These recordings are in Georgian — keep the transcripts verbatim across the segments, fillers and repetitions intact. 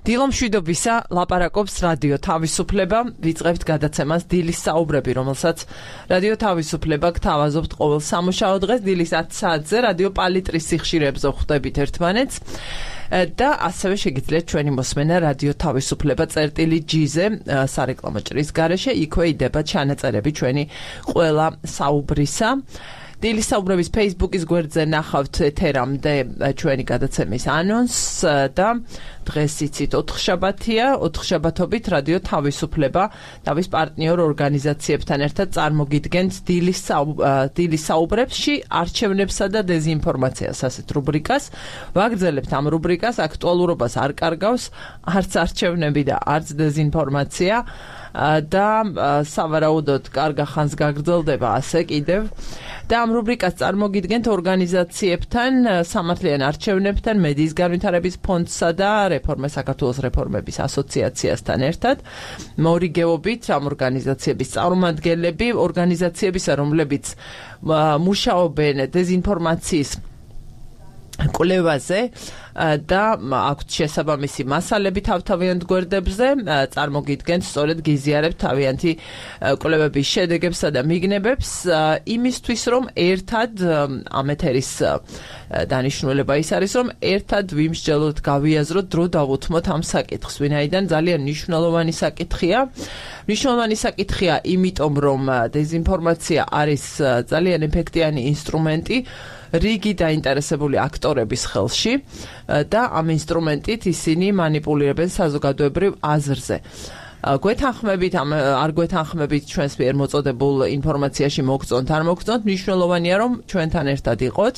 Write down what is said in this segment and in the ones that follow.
დილომშვიდობისა ლაპარაკობს რადიო თავისუფლება, ვიწყებთ გადაცემას დილის საუბრები, რომელსაც რადიო თავისუფლება გთავაზობთ ყოველ სამუშაო დღეს დილის ათ საათზე რადიო პალიტრის სიხშირეებზე ხვდებით ერთმანეთს. და ასევე შეგიძლიათ ჩვენი მოსმენა რადიო თავისუფლება წერტილი ჯი-ზე სარეკლამო ჭრის გარეშე, იქვე იდება ჩანაწერები ჩვენი ყველა საუბრისა. დილის საუბრების Facebook-ის გვერდზე ნახავთ ეთერამდე ჩვენი გადაცემის ანონსს და დღეს იცით ოთხშაბათია, ოთხშაბათობით რადიო თავისუფლება თავის პარტნიორ ორგანიზაციებთან ერთად წარმოგიდგენთ დილის დილის საუბრებში არჩევნებსა და დეზინფორმაციას ასეთ რუბრიკას. ვაგრძელებთ ამ რუბრიკას, აქტუალურობას არ კარგავს არც არჩევნები და არც დეზინფორმაცია და სავარაუდოდ კარგა ხანს გაგრძელდება ასე კიდევ. და ამ რუბრიკას წარმოგიდგენთ ორგანიზაციებთან, სამართლიან არჩევნებთან, მედიის განვითარების ფონდსა და რეფორმა საქართველოს რეფორმების ასოციაციასთან ერთად. მორიგეობით ამ ორგანიზაციების წარმომადგენლები, ორგანიზაციებისა, რომლებიც მუშაობენ დეზინფორმაციის კვლევაზე და აქვთ შესაბამისი მასალები თავთავიანთ გვერდებზე, წარმოგიდგენთ სწორედ გიზიარებთ თავიანთი კვლევების შედეგებსა და მიგნებებს იმისთვის, რომ ერთად ამ ეთერის დანიშნულება ის არის, რომ ერთად ვიმსჯელოთ, გავიაზროთ, დრო დავუთმოთ ამ საკითხს, ვინაიდან ძალიან მნიშვნელოვანი საკითხია. მნიშვნელოვანი საკითხია იმიტომ, რომ დეზინფორმაცია არის ძალიან ეფექტიანი ინსტრუმენტი რიგი დაინტერესებული აქტორების ხელში და ამ ინსტრუმენტით ისინი მანიპულირებენ საზოგადოებრივ აზრზე. გვეთანხმებით, არ გვეთანხმებით ჩვენს მიერ მოწოდებულ ინფორმაციაში მოგწონთ, არ მოგწონთ, მნიშვნელოვანია, რომ ჩვენთან ერთად იყოთ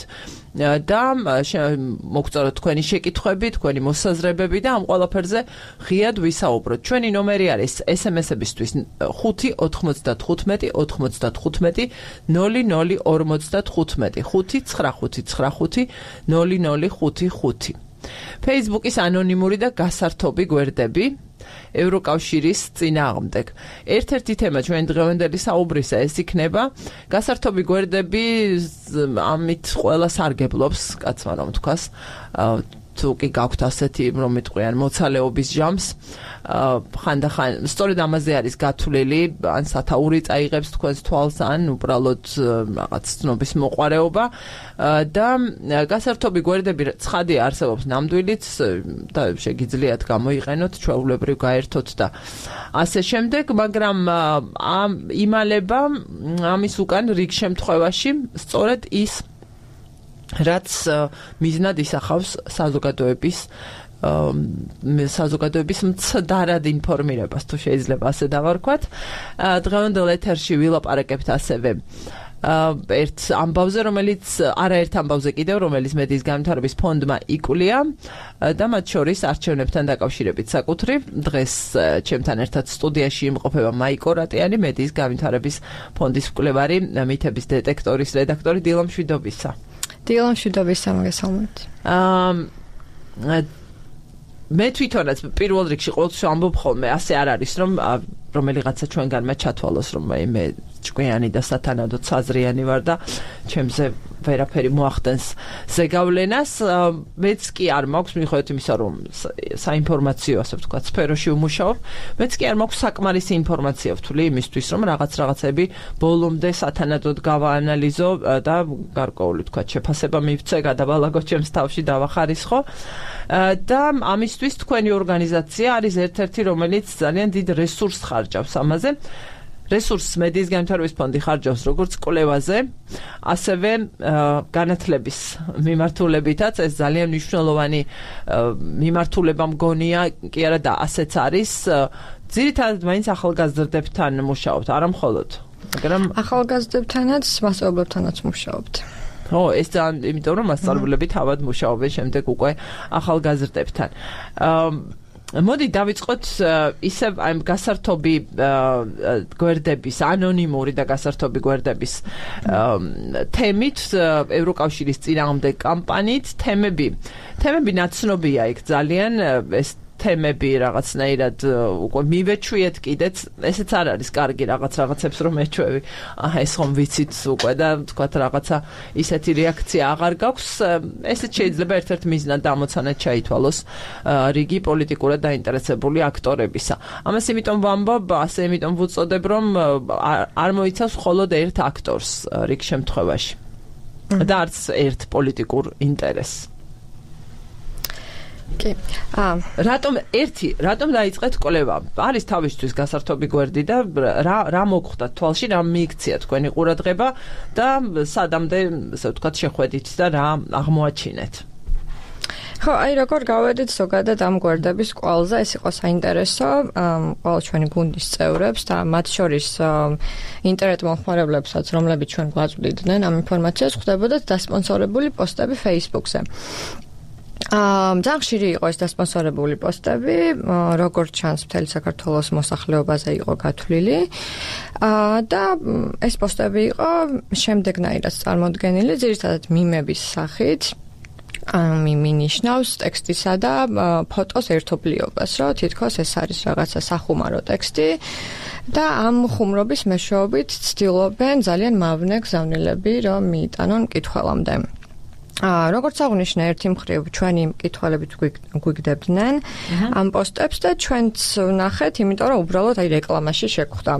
და მოგწონოთ თქვენი შეკითხვები, თქვენი მოსაზრებები და ამ ყველაფერზე ღიად ვისაუბროთ. ჩვენი ნომერი არის ეს ემ ეს-ებისთვის ხუთი ოთხმოცდათხუთმეტი ოთხმოცდათხუთმეტი ნული ნული ორმოცდათხუთმეტი ხუთი ცხრა ხუთი ცხრა ხუთი ნული ნული ხუთი ხუთი. Facebook-ის ანონიმური და გასართობი გვერდები ევროკავშირის წინააღმდეგ. ერთ-ერთი თემა ჩვენ დღევანდელი საუბრისა ეს იქნება გასართობი გვერდები, ამით ყველა სარგებლობს, კაცმა რომ თქვას, თუ კი გაქვთ ასეთი, რომ მეტყვიან მოცალეობის ჟამს, ხანდახან სწორედ ამაზე არის გათვლილი, ან სათაური წაიღებს თქვენს თვალს, ან უბრალოდ რაღაც ცნობის მოყვარეობა და გასართობი გვერდები ცხადია არსებობს ნამდვილიც და შეგიძლიათ გამოიყენოთ, ჩვეულებრივ გაერთოთ და ასე შემდეგ, მაგრამ ამ იმალება ამის უკან რიგ შემთხვევაში სწორედ ის რაც მიზნად ისახავს საზოგადოების საზოგადოების მცდარად ინფორმირებას, თუ შეიძლება ასე დავარქვათ. დღევანდელ ეთერში ვილაპარაკებთ ასევე ერთ ამბავზე, რომელიც არაერთ ამბავზე კიდევ, რომელიც მედიის განვითარების ფონდმა იკვლია და მათ შორის არჩევნებთან დაკავშირებით საკუთრივ. დღეს ჩემთან ერთად სტუდიაში იმყოფება მაიკო რატიანი, მედიის განვითარების ფონდის მკვლევარი, მითების დეტექტორის რედაქტორი. დილომშვიდობისა. დილომშვიდობისა, მოგესალმებით. მე თვითონაც პირველ რიგში ყოველთვის ვამბობ ხოლმე, ასე არ არის, რომ რომელიღაცა ჩვენგანმა ჩათვალოს, რომ მე ჭკვიანი და სათანადოდ საზრიანი ვარ და ჩემზე ვერაფერი მოახდენს ზეგავლენას. მეც კი არ მაქვს, მიუხედავად იმისა, რომ საინფორმაციო, ასე ვთქვათ, სფეროში ვმუშაობ, მეც კი არ მაქვს საკმარისი ინფორმაცია ვთვლი იმისთვის, რომ რაღაც რაღაცები ბოლომდე სათანადოდ გავაანალიზო და გარკვეული, ვთქვათ, შეფასება მივცე, გადავალაგო ჩემს თავში, დავახარისხო. და ამისთვის თქვენი ორგანიზაცია არის ერთ-ერთი, რომელიც ძალიან დიდ რესურსს ხარჯავს ამაზე. რესურსს მედიის განვითარების ფონდი ხარჯავს როგორც კვლევაზე, ასევე განათლების მიმართულებითაც. ეს ძალიან მნიშვნელოვანი მიმართულება მგონია, კი არა და ასეც არის. ძირითადად მაინც ახალგაზრდებთან მუშაობთ, არა მხოლოდ, მაგრამ ახალგაზრდებთანაც, მასწავლებლებთანაც მუშაობთ. ო, ეს ძალიან, იმიტომ რომ მასწავლებლები თავად მუშაობენ შემდეგ უკვე ახალგაზრდებთან. მოდი დავიწყოთ ისევ ამ გასართობი გვერდების, ანონიმური და გასართობი გვერდების თემით, ევროკავშირის წინააღმდეგ კამპანიით. თემები, თემები ნაცნობია იქ ძალიან, ეს თემები რაღაცნაირად უკვე მივეჩვიეთ კიდეც, ესეც არ არის კარგი რაღაც რაღაცებს რომ ეჩვევი. აჰა ეს ხომ ვიცით უკვე და თქვათ რაღაცა ისეთი რეაქცია აღარ გაქვს. ესეც შეიძლება ერთ-ერთ მიზნად დამოცანად ჩაითვალოს რიგი პოლიტიკურად დაინტერესებული აქტორებისა. ამას იმიტომ ვამბობ, ასე იმიტომ ვუწოდებ, რომ არ მოიცავს მხოლოდ ერთ აქტორს რიგ შემთხვევაში. და არც ერთ პოლიტიკურ ინტერესს. კი. აა, რატომ ერთი, რატომ დაიწყეთ კვლევა? არის თავისთვის გასართობი გვერდი და რა რა მოგხვდა თვალში, რა მიიქცია თქვენი ყურადღება და სადამდე, ასე ვთქვათ, შეხვედით და რა აღმოაჩინეთ? ხო, აი როგორ გავედით ზოგადად ამ გვერდების კვალზე, ეს იყო საინტერესო ყველა ჩვენი გუნდის წევრებს და მათ შორის ინტერნეტ მომხმარებლებსაც, რომლებიც ჩვენ გვაწვდიდნენ ამ ინფორმაციას, ხდებოდათ დასპონსორებული პოსტები Facebook-ზე. აა, ძალიან ხშირი იყო ეს დასპონსორებული პოსტები, როგორც ჩანს, მთელი საქართველოს მოსახლეობაზე იყო გათვლილი. აა და ეს პოსტები იყო შემდეგნაირად წარმოდგენილი, ძირითადად მიმების სახით. მიმი ნიშნავს ტექსტისა და ფოტოს ერთობლიობას, რომ თითქოს ეს არის რაღაცა სახუმარო ტექსტი და ამ ხუმრობის მეშვეობით ცდილობენ ძალიან მავნე გზავნილები, რომ მიიტანონ მკითხველამდე. აა როგორც აღნიშნა, ერთი მხრივ ჩვენი მკითხველებით გვიგდებდნენ ამ პოსტებს და ჩვენც ვნახეთ, იმიტომ რომ უბრალოდ აი რეკლამაში შეგვხვდა.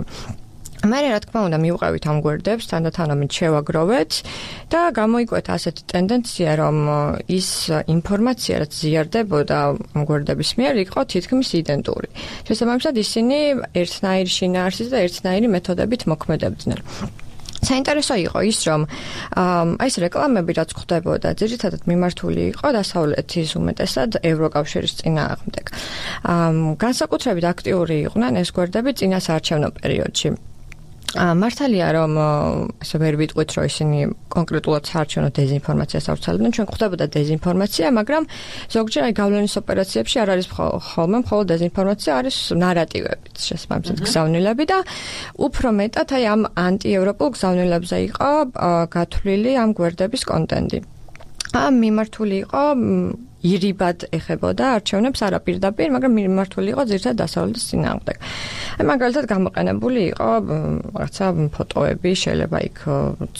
მე რა თქმა უნდა მივყევით ამ გვერდებს, თანდათანობით შევაგროვეთ და გამოიკვეთა ასეთი ტენდენცია, რომ ის ინფორმაცია, რაც ზიარდებოდა ამ გვერდების მიერ, იყო თითქმის იდენტური. შესაბამისად, ისინი ერთნაირი შინაარსით და ერთნაირი მეთოდებით მოქმედებდნენ. საინტერესო იყო ის, რომ აი ეს რეკლამები რაც ხდებოდა, ძირითადად მიმართული იყო დასავლეთის უმეტესად ევროკავშირის წინააღმდეგ. განსაკუთრებით აქტიური იყვნენ ეს გვერდები წინა საარჩევნო პერიოდში. მართალია რომ ესე ვერ ვიტყვით რომ ისინი კონკრეტულად საარჩევნო დეზინფორმაციას ავრცელებდნენ, ჩვენ გვხვდებოდა დეზინფორმაცია, მაგრამ ზოგჯერ აი გავლენის ოპერაციებში არ არის ხოლმე მხოლოდ დეზინფორმაცია, არის ნარატივები, შესაბამისად გზავნილები და უფრო მეტად აი ამ ანტიევროპულ გზავნილებზე იყო გათვლილი ამ გვერდების კონტენტი. ამ მიმართული იყო ირიბად ეხებოდა არჩევნებს არაპირდაპირ, მაგრამ მიმართული იყო ძირითადად დასავლეთის წინააღმდეგ. აი მაგალითად გამოყენებული იყო რაღაცა ფოტოები, შეიძლება იქ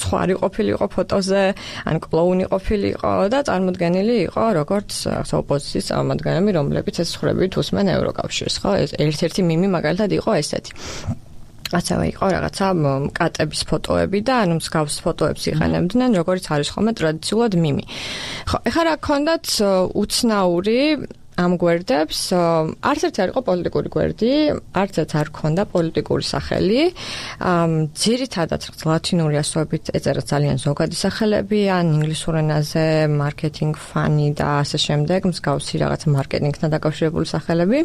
ცხვარი ყოფილიყო ფოტოზე, ან კლოუნი ყოფილიყო და წარმოდგენილი იყო როგორც რაღაცა ოპოზიციის წარმომადგენლები, რომლებიც ეს ცხრებით უსმენ ევროკავშირს, ხო? ეს ერთ-ერთი მიმი მაგალითად იყო ესეთი. ასევე იყო რაღაცა კატების ფოტოები და ანუ მსგავს ფოტოებს იყენებდნენ, როგორც არის ხოლმე ტრადიციულად მიმი. ხო, ეხლა რა გქონდათ უცნაური ამ გვერდებს, არც ერთი არ იყო პოლიტიკური გვერდი, არც ერთ არ ჰქონდა პოლიტიკური სახელი. ძირითადად ლათინური ასოებით ეწერა ძალიან ზოგადი სახელები, ან ინგლისურ ენაზე მარკეტინგ ფანი და ასე შემდეგ, მსგავსი რაღაც მარკეტინგთან დაკავშირებული სახელები.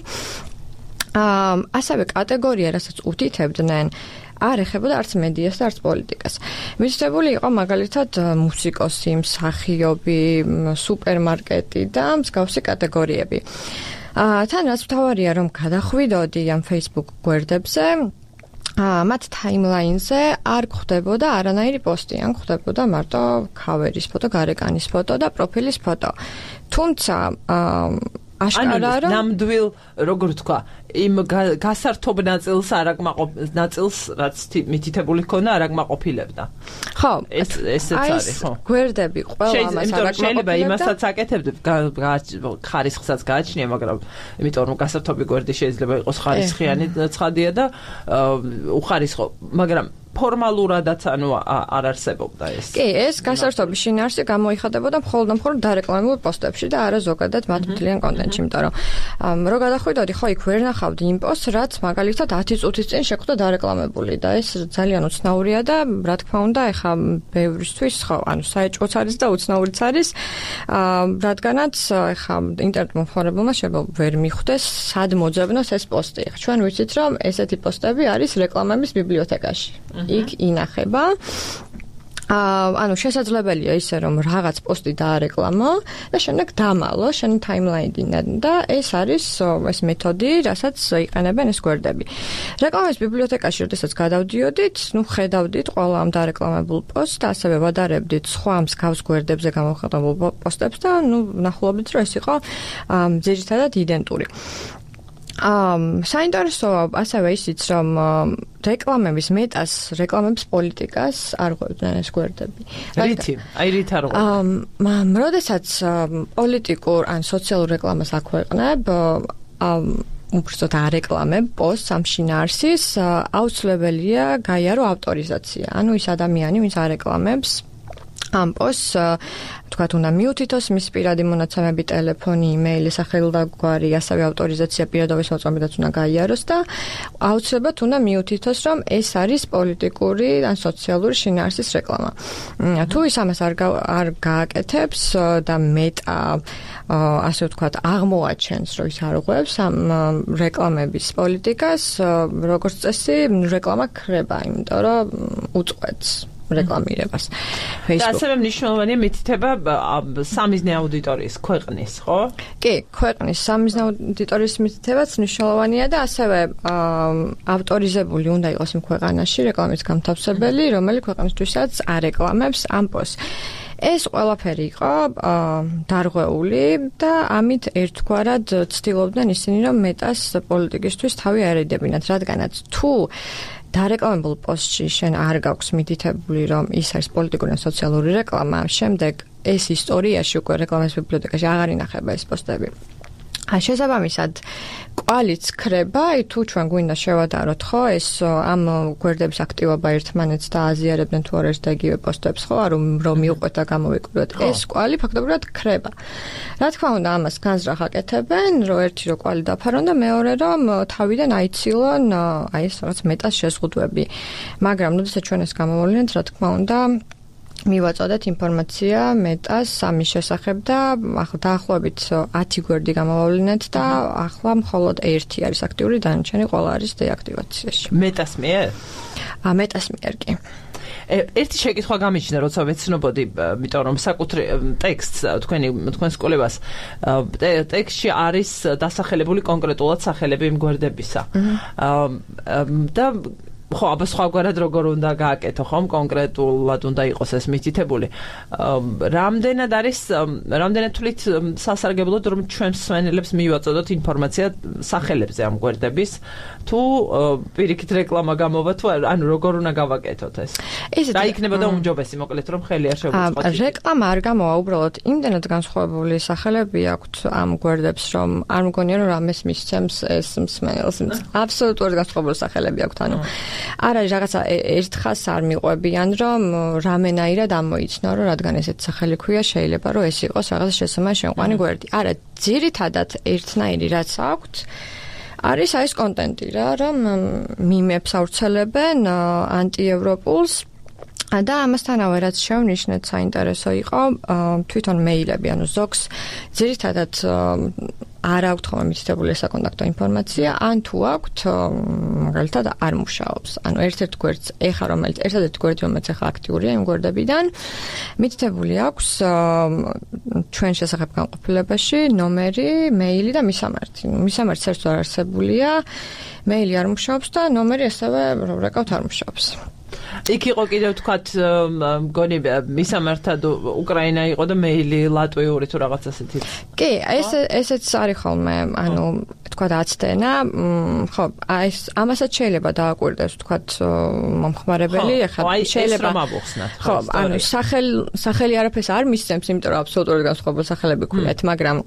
აა ასევე კატეგორია, რასაც უთითებდნენ, არ ეხებოდა არც მედიას და არც პოლიტიკას. მისდეველი იყო მაგალითად მუსიკოსი, მსახიობი, სუპერმარკეტი და მსგავსი კატეგორიები. აა თან რაც მთავარია, რომ გადახვიდოდი ამ Facebook გვერდებზე, აა მათ ტაიმლაინზე არ გვხვდებოდა არანაირი პოსტი, ან გვხვდებოდა მარტო ქავერის ფოტო, გარეკანის ფოტო და პროფილის ფოტო. თუმცა აა აშკარა რომ ნამდვილ როგორ თქვა იმ გასართობ ნაწილს არ აკმაყოფ ნაწილს რაც მითითებული ქონა არ აკმაყოფილებდა. ხო, ეს ესეც არის, ხო. გვერდები ყველა ამას არ აკმაყოფილებდა. შეიძლება იმასაც აკეთებდეთ, ხარისხსაც გააჩნია, მაგრამ იმიტომ რომ გასართობი გვერდი შეიძლება იყოს ხარისხიანი ცხადია და უხარისხო, მაგრამ ფორმალურადაც ანუ არ არსებობდა ეს. კი, ეს გასართობი შინაარსი გამოიხადებოდა მხოლოდ მხოლოდ დარეკლამებულ პოსტებში და არა ზოგადად მათ მთლიან კონტენტში, იმიტომ რომ რო გადახვიდოდი, ხო იქ ვერ ნახავდი იმ პოსტს, რაც მაგალითად ათი წუთის წინ შეხვდა დარეკლამებული და ეს ძალიან უცნაურია და რა თქმა უნდა, ეხა ბევრისთვის ხო, ანუ საეჭვოც არის და უცნაურიც არის, რადგანაც ეხა ინტერნეტ მომხმარებელმა შეიძლება ვერ მიხვდეს, სად მოძებნოს ეს პოსტი. ჩვენ ვიცით, რომ ესეთი პოსტები არის რეკლამების ბიბლიოთეკაში. იქ ინახება. ანუ შესაძლებელია ისე რომ რაღაც პოსტი დაარეკლამო და შემდეგ დამალო შენი ტაიმლაინიდან და ეს არის ეს მეთოდი, რასაც იყენებენ ეს გვერდები. რეკლამის ბიბლიოთეკაში როდესაც გადავდიოდით, ნუ ხედავდით ყველა ამ დარეკლამებულ პოსტს და ასევე ვადარებდით სხვა მსგავს გვერდებზე გამოხატებულ პოსტებს და ნუ ნახულობდით რომ ეს იყო ძირითადად იდენტური. ამ საინტერესოა ასევე ისიც რომ რეკლამების მეტას რეკლამების პოლიტიკას არ ღვევდნენ ეს გვერდები. რითი? აი რით არ ღვევდნენ? ამ როდესაც პოლიტიკურ ან სოციალურ რეკლამას აქვეყნებ, ამ უბრალოდ არეკლამებ პოსტს ამ შინაარსის, აუცილებელია გაიარო ავტორიზაცია. ანუ ის ადამიანი, ვინც არეკლამებს ამ პოსტს თქვათ უნდა მიუთითოს მის პირადი მონაცემები, ტელეფონი, იმეილი, სახელდაგვარი, ასევე ავტორიზაცია პირადობის მოწმობიდაც უნდა გაიაროს და აუცილებლად უნდა მიუთითოს, რომ ეს არის პოლიტიკური ან სოციალური შინაარსის რეკლამა. თუ ის ამას არ არ გააკეთებს და მეტა ასე ვთქვათ, აღმოაჩენს, რომ ის არ ღვევს ამ რეკლამების პოლიტიკას, როგორც წესი, რეკლამა ქრება, იმიტომ რომ უწყვეტს რეკლამირებას. და ასევე მნიშვნელოვანია მითითება სამიზნე აუდიტორიის ქვეყნის, ხო? კი, ქვეყნის სამიზნე აუდიტორიის მითითებაც მნიშვნელოვანია და ასევე ავტორიზებული უნდა იყოს იმ ქვეყანაში რეკლამის გამთავსებელი, რომელიც ქვეყნისთვისაც არეკლამებს ამ პოსტს. ეს ყველაფერი იყო დარღვეული და ამით ერთგვარად ცდილობდნენ ისინი, რომ მეტას პოლიტიკისთვის თავი აერიდებინათ, რადგანაც თუ დარეკლამებულ პოსტში შენ არ გაქვს მითითებული, რომ ის არის პოლიტიკური ან სოციალური რეკლამა, შემდეგ ეს ისტორიაში უკვე რეკლამის ბიბლიოთეკაში აღარ ინახება ეს პოსტები. შესაბამისად, კვალიც ქრება, თუ ჩვენ გვინდა შევადაროთ, ხო, ეს ამ გვერდების აქტივობა ერთმანეთს და აზიარებდნენ თუ არა და იგივე პოსტებს, ხო, რომ რომ მიუყვეთ და გამოვიკვიროთ, ეს კვალი ფაქტობრივად ქრება. რა თქმა უნდა, ამას განზრახ აკეთებენ, რომ ერთი რო კვალი დაფარონ და მეორე რომ თავიდან აიცილონ აი ეს რაღაც მეტას შეზღუდვები. მაგრამ როდესაც ჩვენ ეს გამოვავლინეთ, რა თქმა უნდა, მივაწოდეთ ინფორმაცია მეტას ამის შესახებ და ახლა დაახლოებით ათი გვერდი გამოვავლინეთ და ახლა მხოლოდ ერთი არის აქტიური, დანარჩენი ყველა არის დეაქტივაციაში. მეტას მიერ? ა მეტას მიერ კი. ერთი შეკითხვა გამიჩნდა, როცა ვეცნობოდი, იმიტომ რომ საკუთრ ტექსტს თქვენი თქვენს კოლებას ტექსტში არის დასახელებული კონკრეტულად სახელები იმ გვერდებისა. და ხო, აბა სხვაგვარად როგორ უნდა გააკეთო, ხომ, კონკრეტულად უნდა იყოს ეს მითითებული. რამდენად არის, რამდენად თვლით სასარგებლოდ, რომ ჩვენ მსმენელებს მივაწოდოთ ინფორმაცია სახელებზე ამ გვერდების, თუ პირიქით რეკლამა გამოვა, თუ ანუ როგორ უნდა გავაკეთოთ ეს? რა იქნებოდა უმჯობესი, მოკლედ, რომ ხელი არ შევუწყოთ? რეკლამა არ გამოვა, უბრალოდ იმდენად განსხვავებული სახელები აქვთ ამ გვერდებს, რომ არ მგონია, რომ რამეს მისცემს ეს მსმენელს. აბსოლუტურად განსხვავებული სახელები აქვთ, ანუ არ არის რაღაცა ერთხას არ მიყვებიან, რომ რამენაირად ამოიცნო, რომ რადგან ესეთ სახელი ქვია, შეიძლება რომ ეს იყოს რაღაც შესაძლოა შემყვანი გვერდი. არა, ძირითადად ერთნაირი რაც აქვთ, არის აი ეს კონტენტი რა, რომ მიმებს ავრცელებენ ანტიევროპულს და ამასთანავე რაც შევნიშნეთ საინტერესო იყო თვითონ მეილები, ანუ ზოგს ძირითადად არ აქვთ ხოლმე მითითებული საკონტაქტო ინფორმაცია, ან თუ აქვთ, მაგალითად არ მუშაობს. ანუ ერთ-ერთ გვერდს ეხა რომელიც ერთადერთი გვერდი რომელიც ეხა აქტიურია იმ გვერდებიდან, მითითებული აქვს ჩვენ შესახებ განყოფილებაში ნომერი, მეილი და მისამართი. მისამართი საერთოდ არ არსებულია, მეილი არ მუშაობს და ნომერი ასევე რომ რეკავთ არ მუშაობს. იქ იყო კიდევ თქვათ მგონი მისამართად უკრაინა იყო და მეილი ლატვიური თუ რაღაც ასეთი. კი, ეს ესეც არის ხოლმე, ანუ თქვათ აცდენა, ხო, აი ამასაც შეიძლება დააკვირდეს თქვათ მომხმარებელი, ეხლა შეიძლება ხო, ანუ სახელი სახელი არაფერს არ მისცემს, იმიტომ რომ აბსოლუტურად განსხვავებული სახელები ქვიათ, მაგრამ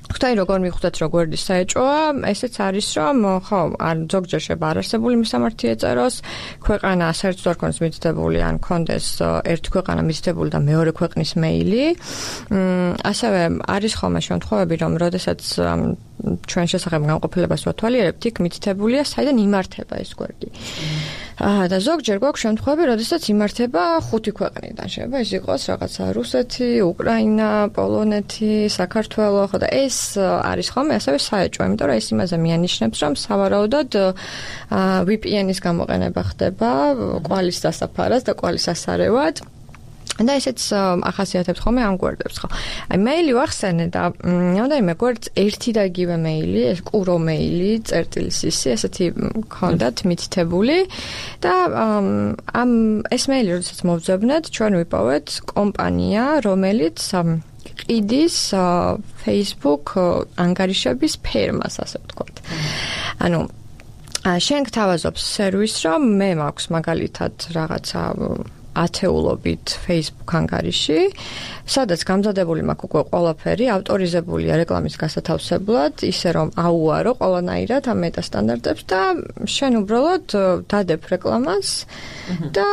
ხთაი როგორ მიხვდეთ რომ გვერდი საეჭოა, ესეც არის რომ ხო, არ ზოგჯერ შეიძლება არარსებული მისამართი ეწეროს, ქვეყანა საერთოდ არ ქონდეს მითითებული, ან ქონდეს ერთი ქვეყანა მითითებული და მეორე ქვეყნის მეილი. ასევე არის ხოლმე შემთხვევები, რომ როდესაც ჩვენ შესახებ განყოფილებას ვათვალიერებთ, იქ მითითებულია, საიდან იმართება ეს გვერდი. და ზოგჯერ გვაქვს შემთხვევები, როდესაც იმართება ხუთი ქვეყნიდან. შეიძლება ეს იყოს რაღაცა რუსეთი, უკრაინა, პოლონეთი, საქართველო, ხო და ეს არის ხოლმე ასევე საეჭვო, იმიტომ რომ ეს იმაზე მიანიშნებს, რომ სავარაუდოდ V P N-ის გამოყენება ხდება კვალის დასაფარად და კვალის ასარევად. და ესეც ახასიათებს ხოლმე ამ გვერდებს ხო. აი მეილი ვახსენე და რამდენიმე გვერდს ერთი და იგივე მეილი, ეს კურო მეილი, წერტილი სისი, ესეთი გქონდათ მითითებული და ამ ეს მეილი როდესაც მოვძებნეთ, ჩვენ ვიპოვეთ კომპანია, რომელიც ყიდის Facebook ანგარიშების ფერმას, ასე ვთქვათ. ანუ შენ გთავაზობ სერვისს, რომ მე მაქვს მაგალითად რაღაცა ათეულობით Facebook ანგარიში, სადაც გამზადებული მაქვს უკვე ყველაფერი, ავტორიზებულია რეკლამის გასათავსებლად, ისე რომ აუარო ყველანაირად ამ მეტასტანდარტებს და შენ უბრალოდ დადებ რეკლამას და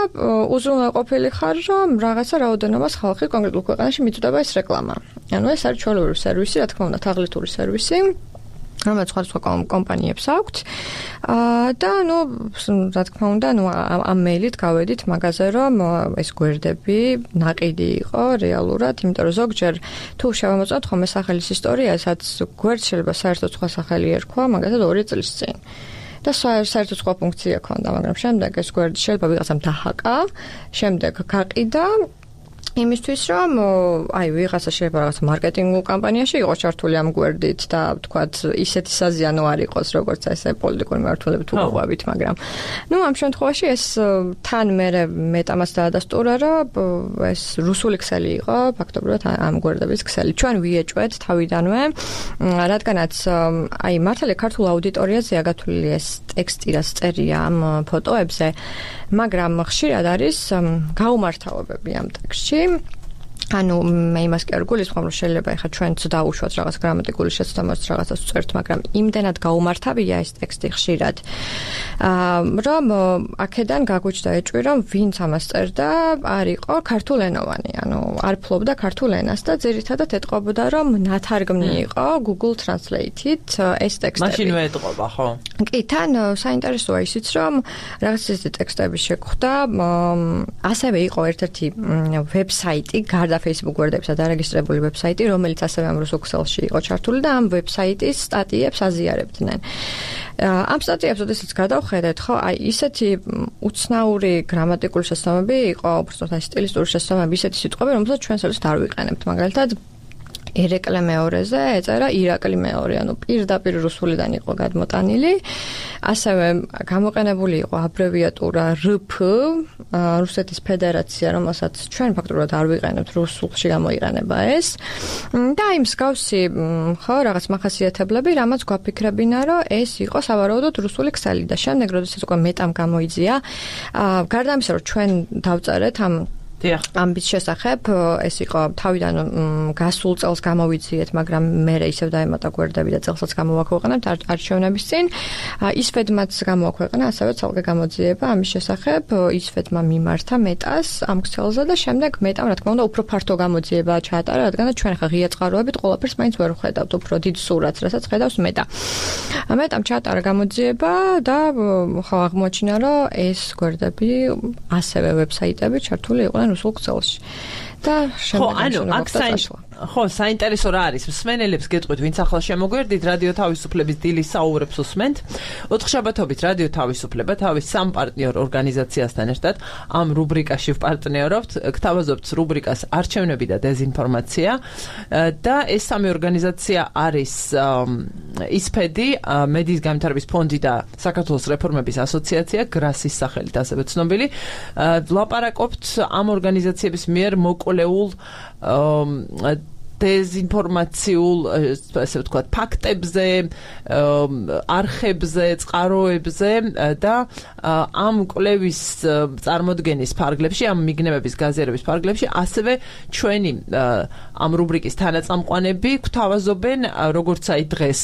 უზრუნველყოფილი ხარ, რომ რაღაცა რაოდენობას ხალხი კონკრეტულ ქვეყანაში მიწვდება ეს რეკლამა. ანუ ეს არის ჩვეულებრივი სერვისი, რა თქმა უნდა, თაღლითური სერვისი. რომელიც სხვადასხვა კომპანიებს აქვთ. და ნუ რა თქმა უნდა, ნუ ამ მეილით გავედით მაგაზე, რომ ეს გვერდები ნაყიდი იყო რეალურად, იმიტომ რომ ზოგჯერ თუ შევამოწმოთ ხომ ეს სახელის ისტორია, სადაც გვერდს შეიძლება საერთოდ სხვა სახელი ერქვა, მაგალითად ორი წლის წინ. და საერთოდ სხვა ფუნქცია ჰქონდა, მაგრამ შემდეგ ეს გვერდი შეიძლება ვიღაცამ დაჰაკა, შემდეგ გაყიდა იმისთვის რომ აი ვიღაცა შეიძლება რაღაც მარკეტინგულ კამპანიაში იყოს ჩართული ამ გვერდით და ვთქვათ ისეთი საზიანო არ იყოს როგორც ესე პოლიტიკური მმართველები თუ ყვავით, მაგრამ ნუ ამ შემთხვევაში ეს თან მე მეტამას დაადასტურა, რომ ეს რუსული ქსელი იყო ფაქტობრივად ამ გვერდების ქსელი. ჩვენ ვიეჭვეთ თავიდანვე, რადგანაც აი მართალია ქართულ აუდიტორიაზეა გათვლილი ეს ტექსტი, რაც წერია ამ ფოტოებზე, მაგრამ ხშირად არის გაუმართავებები ამ ტექსტში. ანუ მე იმას კი არ გულისხმობ, რომ შეიძლება ეხლა ჩვენც დაუშვათ რაღაც გრამატიკული შეცდომას რაღაცას ვწერთ, მაგრამ იმდენად გაუმართავია ეს ტექსტი ხშირად, რომ აქედან გაგვიჩნდა ეჭვი, რომ ვინც ამას წერდა, არ იყო ქართულენოვანი, ანუ არ ფლობდა ქართულ ენას და ძირითადად ეტყობოდა, რომ ნათარგმნი იყო Google Translate-ით ეს ტექსტები. მაშინვე ეტყობა, ხო? კი, თან საინტერესოა ისიც, რომ რაღაც ისეთი ტექსტები შეგვხვდა, ასევე იყო ერთ-ერთი ვებსაიტი, გარდა Facebook გვერდებისა დარეგისტრირებული ვებსაიტი, რომელიც ასევე ამ რუსულ ქსელში იყო ჩართული და ამ ვებსაიტის სტატიებს აზიარებდნენ. ამ სტატიებს ოდესაც გადავხედეთ, ხო, აი ისეთი უცნაური გრამატიკული შეცდომები იყო, უბრალოდ აი სტილისტური შეცდომები, ისეთი სიტყვები, რომელსაც ჩვენ საერთოდ არ ვიყენებთ, მაგალითად ერეკლე მეორეზე ეწერა ირაკლი მეორე, ანუ პირდაპირ რუსულიდან იყო გადმოტანილი. ასევე გამოყენებული იყო აბრევიატურა R P, რუსეთის ფედერაცია, რომელსაც ჩვენ ფაქტობრივად არ ვიყენებთ, რუსულში გამოიყენება ეს. და აი მსგავსი, ხო, რაღაც მახასიათებლები, რამაც გვაფიქრებინა, რომ ეს იყო სავარაუდოდ რუსული ქსელი და შემდეგ, როდესაც უკვე მეტამ გამოიძია, გარდა ამისა, რომ ჩვენ დავწერეთ ამ ამბის შესახებ, ეს იყო თავიდან გასულ წელს გამოვიძიეთ, მაგრამ მე ისევ დაემატა გვერდები და წელსაც გამოვაქვეყნებთ არჩევნების წინ. ისვედმაც გამოვაქვეყნა, ასევე ცალკე გამოძიება ამის შესახებ, ისვედმა მიმართა მეტას ამ ქსელზე და შემდეგ მეტამ, რა თქმა უნდა, უფრო ფართო გამოძიება ჩაატარა, რადგან ჩვენ ხა ღია წყაროებით ყველაფერს მაინც ვერ ვხედავთ, უფრო დიდ სურათს, რასაც ხედავს მეტა. მეტამ ჩაატარა გამოძიება და ხო აღმოაჩინა, რომ ეს გვერდები ასევე ვებსაიტები ჩართული იყვნენ რუსულ ქსელში. და შემდეგ ხო, საინტერესო რა არის? მსმენელებს გეტყვით, ვინც ახლა შემოგვერდით, რადიო თავისუფლების დილის საუბრებს უსმენთ. ოთხშაბათობით რადიო თავისუფლება თავის სამ პარტნიორ ორგანიზაციასთან ერთად ამ რუბრიკაში ვპარტნიორობთ, გთავაზობთ რუბრიკას არჩევნები და დეზინფორმაცია და ეს სამი ორგანიზაცია არის ისფედი, მედიის განვითარების ფონდი და საქართველოს რეფორმების ასოციაცია, გრასის სახელით ასევე ცნობილი. ვლაპარაკობთ ამ ორგანიზაციების მიერ მოკვლეულ დეზინფორმაციულ, ასე ვთქვათ, ფაქტებზე, არხებზე, წყაროებზე და ამ კვლევის წარმოდგენის ფარგლებში, ამ მიგნებების გაზიარების ფარგლებში, ასევე ჩვენი ამ რუბრიკის თანაწამყვანები გვთავაზობენ, როგორც აი დღეს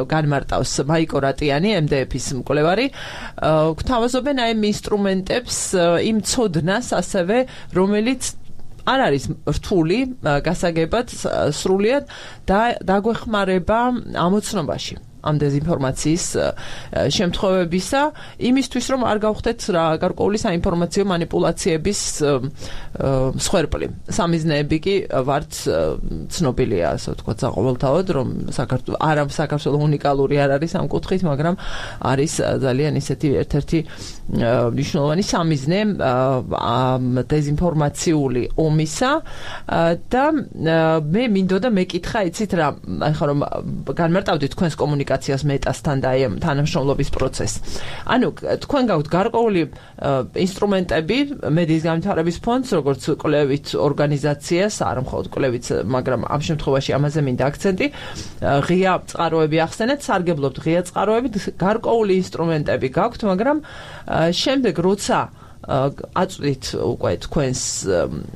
განმარტავს მაიკო რატიანი, M D F-ის მკვლევარი, გვთავაზობენ აი იმ ინსტრუმენტებს, იმ ცოდნას ასევე, რომელიც არ არის რთული გასაგებად სრულიად და დაგვეხმარება ამოცნობაში. ამ დეზინფორმაციის შემთხვევებისა, იმისთვის რომ არ გავხდეთ რა გარკვეული საინფორმაციო манипуляციების მსხვერპლი. სამიზნეები კი ვართ ცნობილია, ასე ვთქვათ, საყოველთაოდ, რომ საქართველოს არა საქართველოს უნიკალური არ არის ამ კუთხით, მაგრამ არის ძალიან ისეთი ერთ-ერთი მნიშვნელოვანი სამიზნე ამ დეზინფორმაციული ომისა და მე მინდოდა მეკითხა, იცით რა, ახლა რომ განმარტავდით თქვენს კომუნიკაციას მეტასთან და აი ამ თანამშრომლობის პროცესს. ანუ თქვენ გაქვთ გარკვეული ინსტრუმენტები მედიის განვითარების ფონდს, როგორც კვლევით ორგანიზაციას, არა მხოლოდ კვლევით, მაგრამ ამ შემთხვევაში ამაზე მინდა აქცენტი, ღია წყაროები ახსენეთ, სარგებლობთ ღია წყაროებით, გარკვეული ინსტრუმენტები გაქვთ, მაგრამ შემდეგ როცა აწვდით უკვე თქვენს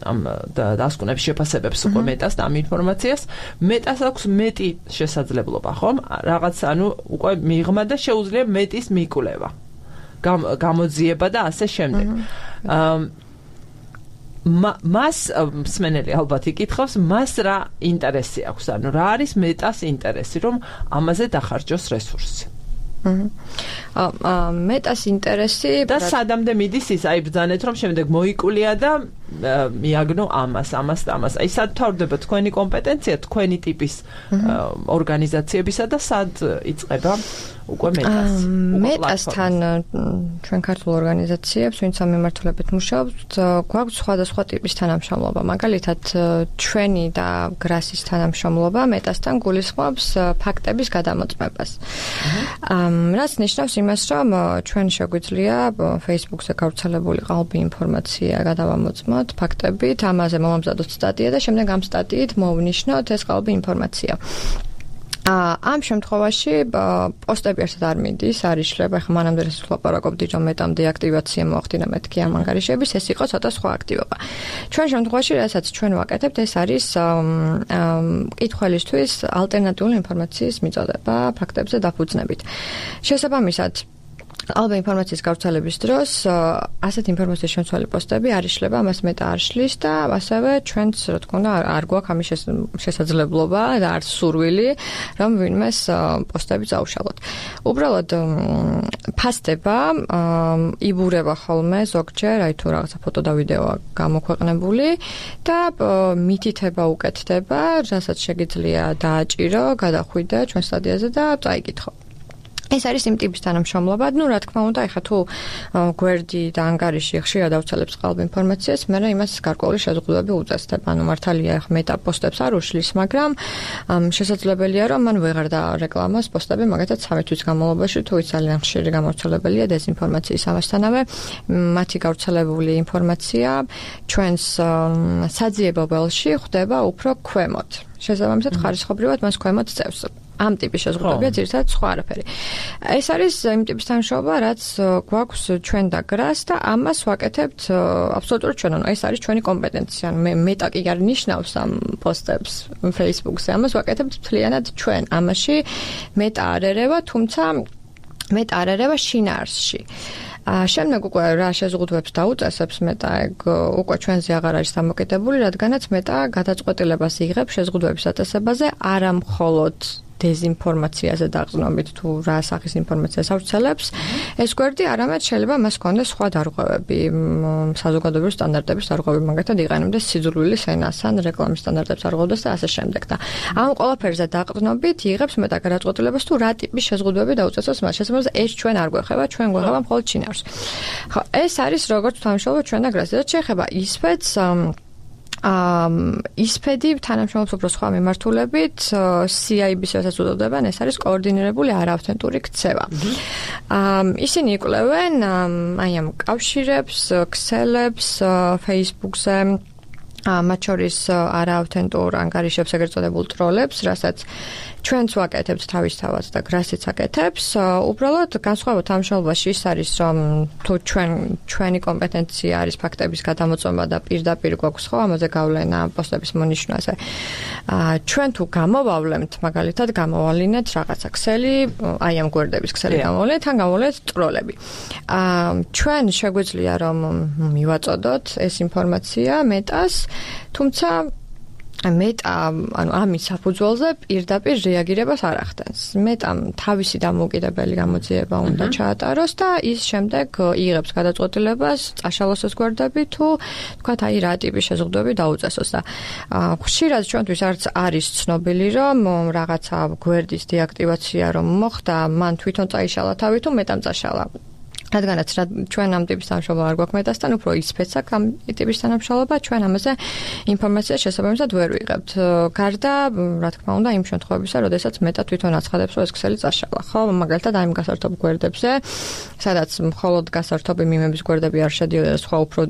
ამ დასკვნებს შეფასებებს უკვე მეტას და ამ ინფორმაციას, მეტას აქვს მეტი შესაძლებლობა, ხომ? რაღაც ანუ უკვე მიღმა და შეუძლია მეტის მიკვლევა. გამოძიება და ასე შემდეგ. მას მსმენელი ალბათ იკითხავს, მას რა ინტერესი აქვს, ანუ რა არის მეტას ინტერესი, რომ ამაზე დახარჯოს რესურსი. მეტას ინტერესი და სადამდე მიდის ის, აი ბრძანეთ რომ შემდეგ მოიკვლია და მიაგნო ამას, ამას და ამას. აი სად თავდება თქვენი კომპეტენცია, თქვენი ტიპის ორგანიზაციებისა და სად იწყება უკვე მეტას. მეტასთან ჩვენ ქართულ ორგანიზაციებს, ვინც ამ მიმართულებით მუშაობთ, გვაქვს სხვადასხვა ტიპის თანამშრომლობა. მაგალითად, ჩვენი და გრასის თანამშრომლობა მეტასთან გულისხმობს ფაქტების გადამოწმებას. რაც ნიშნავს იმას, რომ ჩვენ შეგვიძლია Facebook-ზე გავრცელებული ყალბი ინფორმაცია გადავამოწმოთ ფაქტებით, ამაზე მომამზადოთ სტატია და შემდეგ ამ სტატიით მოვნიშნოთ ეს ყალბი ინფორმაცია. ამ შემთხვევაში პოსტები ერთად არ მიდის, არ იშლება, ხა მანამდე ეს ლაპარაკობდი, რომ მეტამ დეაქტივაცია მოახდინა მეთქი ამ ანგარიშების, ეს იყო ცოტა სხვა აქტივობა. ჩვენ შემთხვევაში, რასაც ჩვენ ვაკეთებთ, ეს არის მკითხველისთვის ალტერნატიული ინფორმაციის მიწოდება ფაქტებზე დაფუძნებით. შესაბამისად, ყალბი ინფორმაციის გავრცელების დროს ასეთ ინფორმაციის შემცველი პოსტები არ იშლება, ამას მეტა არ შლის და ასევე ჩვენც, რა თქმა უნდა, არ გვაქვს ამის შესაძლებლობა და არც სურვილი, რომ ვინმეს პოსტები წაუშალოთ. უბრალოდ ფასდება, იბურება ხოლმე ზოგჯერ, აი თუ რაღაცა ფოტო და ვიდეოა გამოქვეყნებული და მითითება უკეთდება, რასაც შეგიძლია დააჭირო, გადახვიდე ჩვენ სტატიაზე და წაიკითხო. ეს არის იმ ტიპის თანამშრომლობა, ну, რა თქმა უნდა, ეხლა თუ გვერდი და ანგარიში ხშირად ავცელებს ყალბ ინფორმაციას, მე იმას გარკვეული შეზღუდვები უწესდებ. ანუ მართალია, ეხლა მეტა პოსტებს არ უშლის, მაგრამ შესაძლებელია, რომ მან ვეღარ დაარეკლამოს პოსტები, მაგათაც სამი თვის განმავლობაში, თუ ის ძალიან ხშირი გამავრცელებელია დეზინფორმაციის ამასთანავე, მათი გავრცელებული ინფორმაცია ჩვენს საძიებო ველში ხვდება უფრო ქვემოთ. შესაბამისად, ხარისხობრივად მას ქვემოთ წევს. ამ ტიპის შეზღუდვებია ძირითადად სხვა არაფერი. ეს არის იმ ტიპის თანამშრომლობა, რაც გვაქვს ჩვენ და გრას და ამას ვაკეთებთ აბსოლუტურად ჩვენ. ანუ ეს არის ჩვენი კომპეტენცია. მე მეტა კი არ ნიშნავს ამ პოსტებს Facebook-ზე. ამას ვაკეთებთ მთლიანად ჩვენ. ამაში მეტა არ ერევა, თუმცა მეტა არ ერევა შინაარსში. შემდეგ უკვე რა შეზღუდვებს დაუწესებს მეტა, ეგ უკვე ჩვენზე აღარ არის დამოკიდებული, რადგანაც მეტა გადაწყვეტილებას იღებს შეზღუდვების აწესებაზე, არა მხოლოდ დეზინფორმაციაზე დაყრდნობით თუ რა სახის ინფორმაციას ავრცელებს, ეს გვერდი არამედ შეიძლება მას ჰქონდეს სხვა დარღვევები, საზოგადოებრივი სტანდარტების დარღვევები, მაგათად იყენებდეს სიძულვილის ენას ან რეკლამის სტანდარტებს არღვევდეს და ასე შემდეგ და ამ ყველაფერზე დაყრდნობით იღებს მეტა გადაწყვეტილებას თუ რა ტიპის შეზღუდვები დაუწესოს მას. შესაბამისად, ეს ჩვენ არ გვეხება, ჩვენ გვეხება მხოლოდ შინაარსს. ხო, ეს არის როგორც თანამშრომლობა ჩვენ და გრას. რაც შეეხება ისფედს, ისფედი თანამშრომლობს უფრო სხვა მიმართულებით, სი აი ბი-ს რასაც უწოდებენ, ეს არის კოორდინირებული არაავთენტური ქცევა. ისინი იკვლევენ აი ამ კავშირებს, ქსელებს Facebook-ზე, მათ შორის არაავთენტურ ანგარიშებს, ეგრეთ წოდებულ ტროლებს, რასაც ჩვენც ვაკეთებთ თავისთავად და გრასიც აკეთებს. უბრალოდ განსხვავებით თანამშრომლობაში ის არის, რომ თუ ჩვენ ჩვენი კომპეტენცია არის ფაქტების გადამოწმება და პირდაპირ გვაქვს ხო ამაზე გავლენა პოსტების მონიშნვაზე. ჩვენ თუ გამოვავლენთ, მაგალითად, გამოვალინეთ რაღაცა ქსელი, აი ამ გვერდების ქსელი გამოვალინეთ, თან გამოვალინეთ ტროლები. ჩვენ შეგვიძლია რომ მივაწოდოთ ეს ინფორმაცია მეტას, თუმცა მეტამ ანუ ამის საფუძველზე პირდაპირ რეაგირებას არ ახდენს. მეტამ თავისი დამოუკიდებელი გამოძიება უნდა ჩაატაროს და ის შემდეგ იღებს გადაწყვეტილებას წაშალოს ეს გვერდები თუ თქვათ აი რა ტიპის შეზღუდვები დაუწესოს და ხშირად ჩვენთვის არც არის ცნობილი რომ რაღაცა გვერდის დეაქტივაცია რომ მოხდა მან თვითონ წაიშალა თავი თუ მეტამ წაშალა. რადგანაც ჩვენ ამ ტიპის თანამშრომლობა არ გვაქვს მეტასთან, უფრო ისფეცაკ ამ ტიპის თანამშრომლობა, ჩვენ ამაზე ინფორმაციას შესაბამისად ვერ ვიღებთ. გარდა, რა თქმა უნდა, იმ შემთხვევებისა, როდესაც მეტა თვითონ აცხადებს, რომ ეს ქსელი წაშალა. ხო, მაგალითად, აი იმ გასართობ გვერდებზე, სადაც მხოლოდ გასართობი მიმების გვერდები არ შედიოდა, სხვა უფრო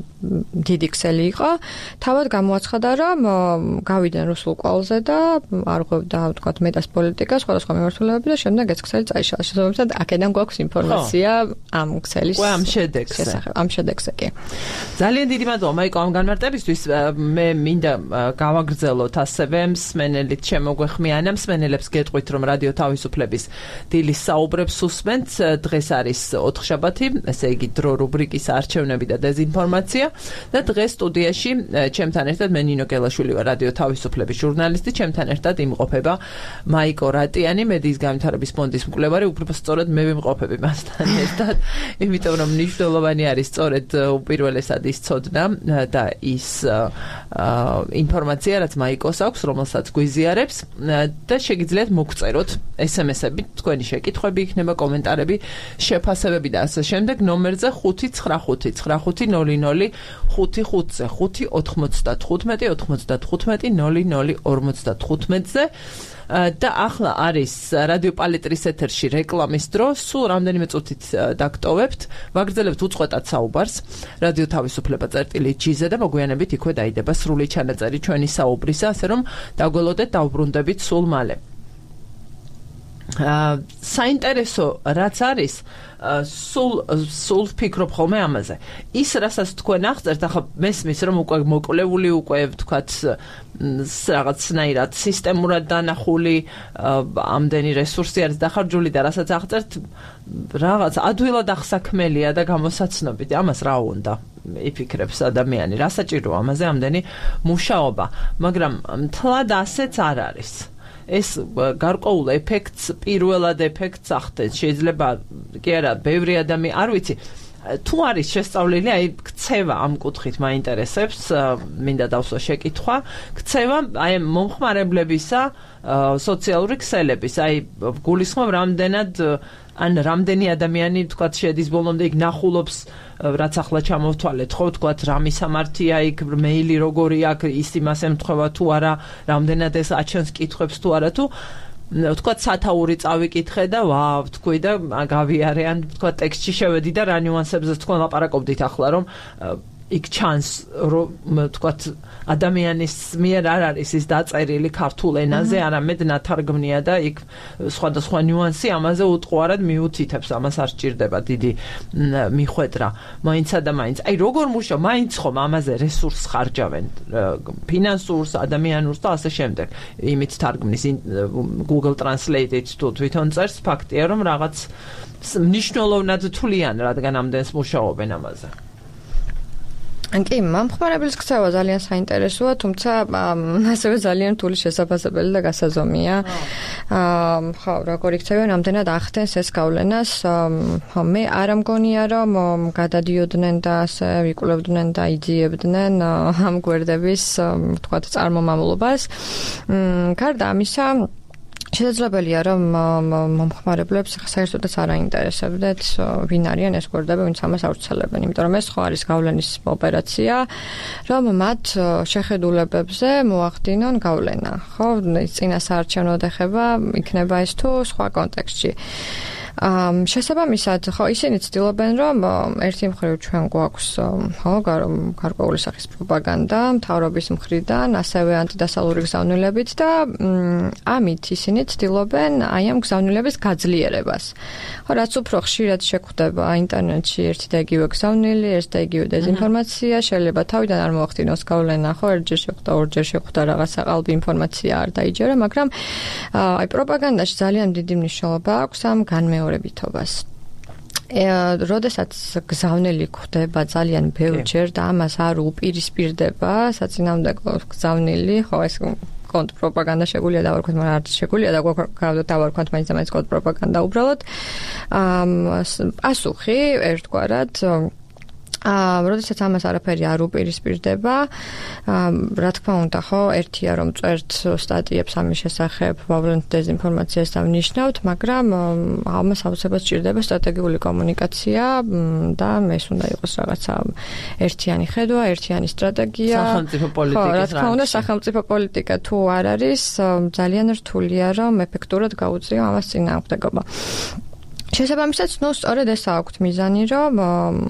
დიდი ქსელი იყო, თავად გამოაცხადა, რომ გავიდნენ რუსულ კვალზე და არ ღვევდა, ვთქვათ, მეტას პოლიტიკას, სხვადასხვა მიმართულებები და შემდეგ ეს ქსელი წაიშალა. შესაბამისად, აქედან გვაქვს ინფორმაცია ამ Qua am შედეგზე. Am შედეგზე კი. ძალიან დიდი მადლობა მაიკო ამ განმარტებისთვის. მე მინდა გავაგრძელოთ ასევე მსმენელით შემოგვეხმიანა მსმენელებს გეტყვით რომ რადიო თავისუფლების დილის საუბრებს უსმენთ. დღეს არის ოთხშაბათი, ესე იგი დრო რუბრიკის არჩევნები და დეზინფორმაცია და დღეს სტუდიაში ჩემთან ერთად მე ნინო გელაშვილი ვარ, რადიო თავისუფლების ჟურნალისტი, ჩემთან ერთად იმყოფება მაიკო რატიანი, მედიის განვითარების ფონდის მკვლევარი, უბრალოდ მე ვიმყოფები მასთან ერთად. იმიტომ რომ მნიშვნელოვანი არის სწორედ უპირველესად ის ცოდნა და ის ინფორმაცია, რაც მაიკოს აქვს, რომელსაც გვიზიარებს და შეგიძლიათ მოგწეროთ ესემესები, თქვენი შეკითხვები იქნება, კომენტარები, შეფასებები და ასე შემდეგ ნომერზე ხუთი ცხრა ხუთი ცხრა ხუთი ნული ნული ხუთი ხუთზე ხუთი ოთხმოცდათხუთმეტი ოთხმოცდათხუთმეტი ნული ნული ორმოცდათხუთმეტზე და ახლა არის რადიო პალიტრის ეთერში რეკლამის დრო, სულ რამდენიმე წუთით დაგტოვებთ, ვაგრძელებთ უწყვეტად საუბარს რადიო თავისუფლება წერტილი ჯი-ზე და მოგვიანებით იქვე დაიდება სრული ჩანაწერი ჩვენი საუბრისა, ასე რომ დაგველოდეთ, დავბრუნდებით სულ მალე. საინტერესო რაც არის, სულ სულ ვფიქრობ ხოლმე ამაზე. ის რასაც თქვენ აღწერთ, ახლა მესმის რომ უკვე მოკვლეული, უკვე ვთქვათ რაღაცნაირად სისტემურად დანახული ამდენი რესურსი არის დახარჯული და რასაც აღწერთ, რაღაც ადვილად აღსაქმელია და გამოსაცნობი. ამას რა უნდა იფიქრებს ადამიანი, რა საჭიროა ამაზე ამდენი მუშაობა, მაგრამ მთლად ასეც არ არის. ეს გარკვეულ ეფექტს, პირველად ეფექტს ახდენს. შეიძლება კი არა, ბევრი ადამიანი, არ ვიცი, თუ არის შესწავლილი, აი ქცევა ამ კუთხით მაინტერესებს, მინდა დავსვა შეკითხვა, ქცევა აი მომხმარებლებისა სოციალური ქსელების, აი გულისხმობ რამდენად ან რამდენი ადამიანი თქვათ შედის ბოლომდე იქ ნახულობს, რაც ახლა ჩამოვთვალეთ, ხო, თქვათ რა მისამართია იქ, მეილი როგორი აქვს, ის იმას ემთხვევა თუ არა, რამდენად ეს აჩენს კითხვებს თუ არა, თუ თქვათ სათაური წავიკითხე და ვაუ, თქვი და გავიარე, ან თქვათ ტექსტში შევედი და რა ნიუანსებზე თქვენ ლაპარაკობდით ახლა, რომ იქ ჩანს რომ თქვათ ადამიანის მიერ არ არის ის დაწერილი ქართულ ენაზე, არამედ ნათარგმნია და იქ სხვადასხვა ნიუანსი ამაზე უტყუარად მიუთითებს, ამას არ სჭირდება დიდი მიხვედრა. მაინცა და მაინც. აი როგორ მუშაობ, მაინც ხომ ამაზე რესურს ხარჯავენ, ფინანსურს, ადამიანურს და ასე შემდეგ. იმით თარგმნის Google Translate-ით თუ თვითონ წერს, ფაქტია რომ რაღაც მნიშვნელოვნად თვლიან, რადგან ამდენს მუშაობენ ამაზე. კი, მომხმარებლის ქცევა ძალიან საინტერესოა, თუმცა ასევე ძალიან რთული შესაძლებელი და გასაზომია. ხო, როგორი ქცევა, რამდენად ახდენს ეს გავლენას. მე არ მგონია, რომ გადადიოდნენ და ასე ვიკვლევდნენ და იძიებდნენ ამ გვერდების, ვთქვათ, წარმომავლობას. გარდა ამისა, შესაძლებელია რომ მომხმარებლებს საერთოდაც არ აინტერესებდეთ ვინ არიან ეს გვერდები, ვინც ამას ავრცელებენ, იმიტომ რომ ეს ხო არის გავლენის ოპერაცია, რომ მათ შეხედულებებზე მოახდინონ გავლენა, ხო, წინასაარჩევნო ეხება იქნება ეს თუ სხვა კონტექსტში. შესაბამისად, ხო, ისინი ცდილობენ, რომ ერთი მხრივ ჩვენ გვაქვს, ხო, გარკვეული სახის პროპაგანდა მთავრობის მხრიდან, ასევე ანტიდასავლური გზავნილებით და ამით ისინი ცდილობენ აი ამ გზავნილების გაძლიერებას. ხო, რაც უფრო ხშირად შეგვხვდება ინტერნეტში ერთი და იგივე გზავნილი, ერთი და იგივე დეზინფორმაცია, შეიძლება თავიდან არ მოახდინოს გავლენა, ხო, ერთჯერ შეხვდა, ორჯერ შეხვდა რაღაცა ყალბი ინფორმაცია არ დაიჯერა, მაგრამ აი პროპაგანდაში ძალიან დიდი მნიშვნელობა აქვს ამ განმეორებითობას. როდესაც გზავნილი ხდება ძალიან ბევრჯერ და ამას არ უპირისპირდება საწინააღმდეგო გზავნილი, ხო ეს კონტრპროპაგანდა შეგვიძლია დავარქვათ, მაგრამ არ შეგვიძლია დავარქვათ მაინც და მაინც კონტრპროპაგანდა უბრალოდ. პასუხი ერთგვარად აა, როდესაც ამას არაფერი არ უპირისპირდება, რა თქმა უნდა, ხო, ერთია რომ წერთ სტატიებს ამის შესახებ, ვავლენთ დეზინფორმაციას და ვნიშნავთ, მაგრამ ამას აუცილებლად სჭირდება სტრატეგიული კომუნიკაცია და ეს უნდა იყოს რაღაცა ერთიანი ხედვა, ერთიანი სტრატეგია. სახელმწიფო პოლიტიკის ხო, რა თქმა უნდა, სახელმწიფო პოლიტიკა თუ არ არის, ძალიან რთულია რომ ეფექტურად გაუწიო ამას წინააღმდეგობა. შესაბამისად, ნუ სწორედ ეს აქვთ მიზანი, რომ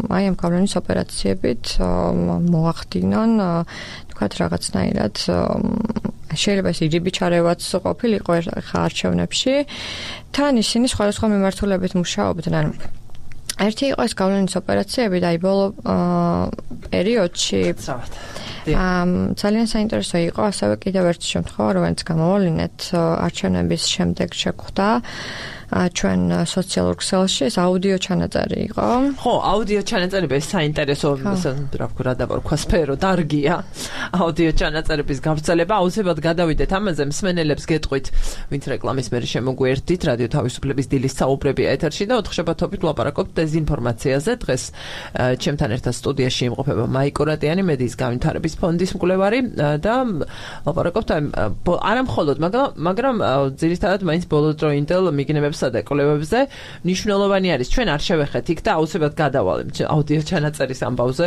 აი ამ გავლენის ოპერაციებით მოახდინონ, თქვათ რაღაცნაირად შეიძლება ეს ირიბი ჩარევაც ყოფილიყო ხა არჩევნებში, თან ისინი სხვადასხვა მიმართულებით მუშაობდნენ. ერთი იყო ეს გავლენის ოპერაციები და აი ბოლო პერიოდში ძალიან საინტერესო იყო ასევე კიდევ ერთი შემთხვევა, რომელიც გამოავლინეთ არჩევნების შემდეგ შეგვხვდა ჩვენ სოციალურ ქსელში ეს აუდიო ჩანაწერი იყო. ხო, აუდიო ჩანაწერები საინტერესო, რა ვქო, რა დავარქვა, სფერო დარგია. აუდიო ჩანაწერების გავრცელება, აუცილებლად გადავიდეთ ამაზე, მსმენელებს გეტყვით, ვინც რეკლამის მერე შემოგვიერთდით, რადიო თავისუფლების დილის საუბრები ეთერში და ოთხშაბათობით ვლაპარაკობთ დეზინფორმაციაზე. დღეს ჩემთან ერთად სტუდიაში იმყოფება მაიკო რატიანი, მედიის განვითარების ფონდის მკვლევარი და ვლაპარაკობთ არა მხოლოდ, მაგრამ მაგრამ ძირითადად მაინც ბოლოდროინდელ მიგნებებს და კვლევებზე მნიშვნელოვანი არის. ჩვენ არ შევეხეთ იქ და აუცილებლად გადავალებთ აუდიო ჩანაწერის ამბავზე.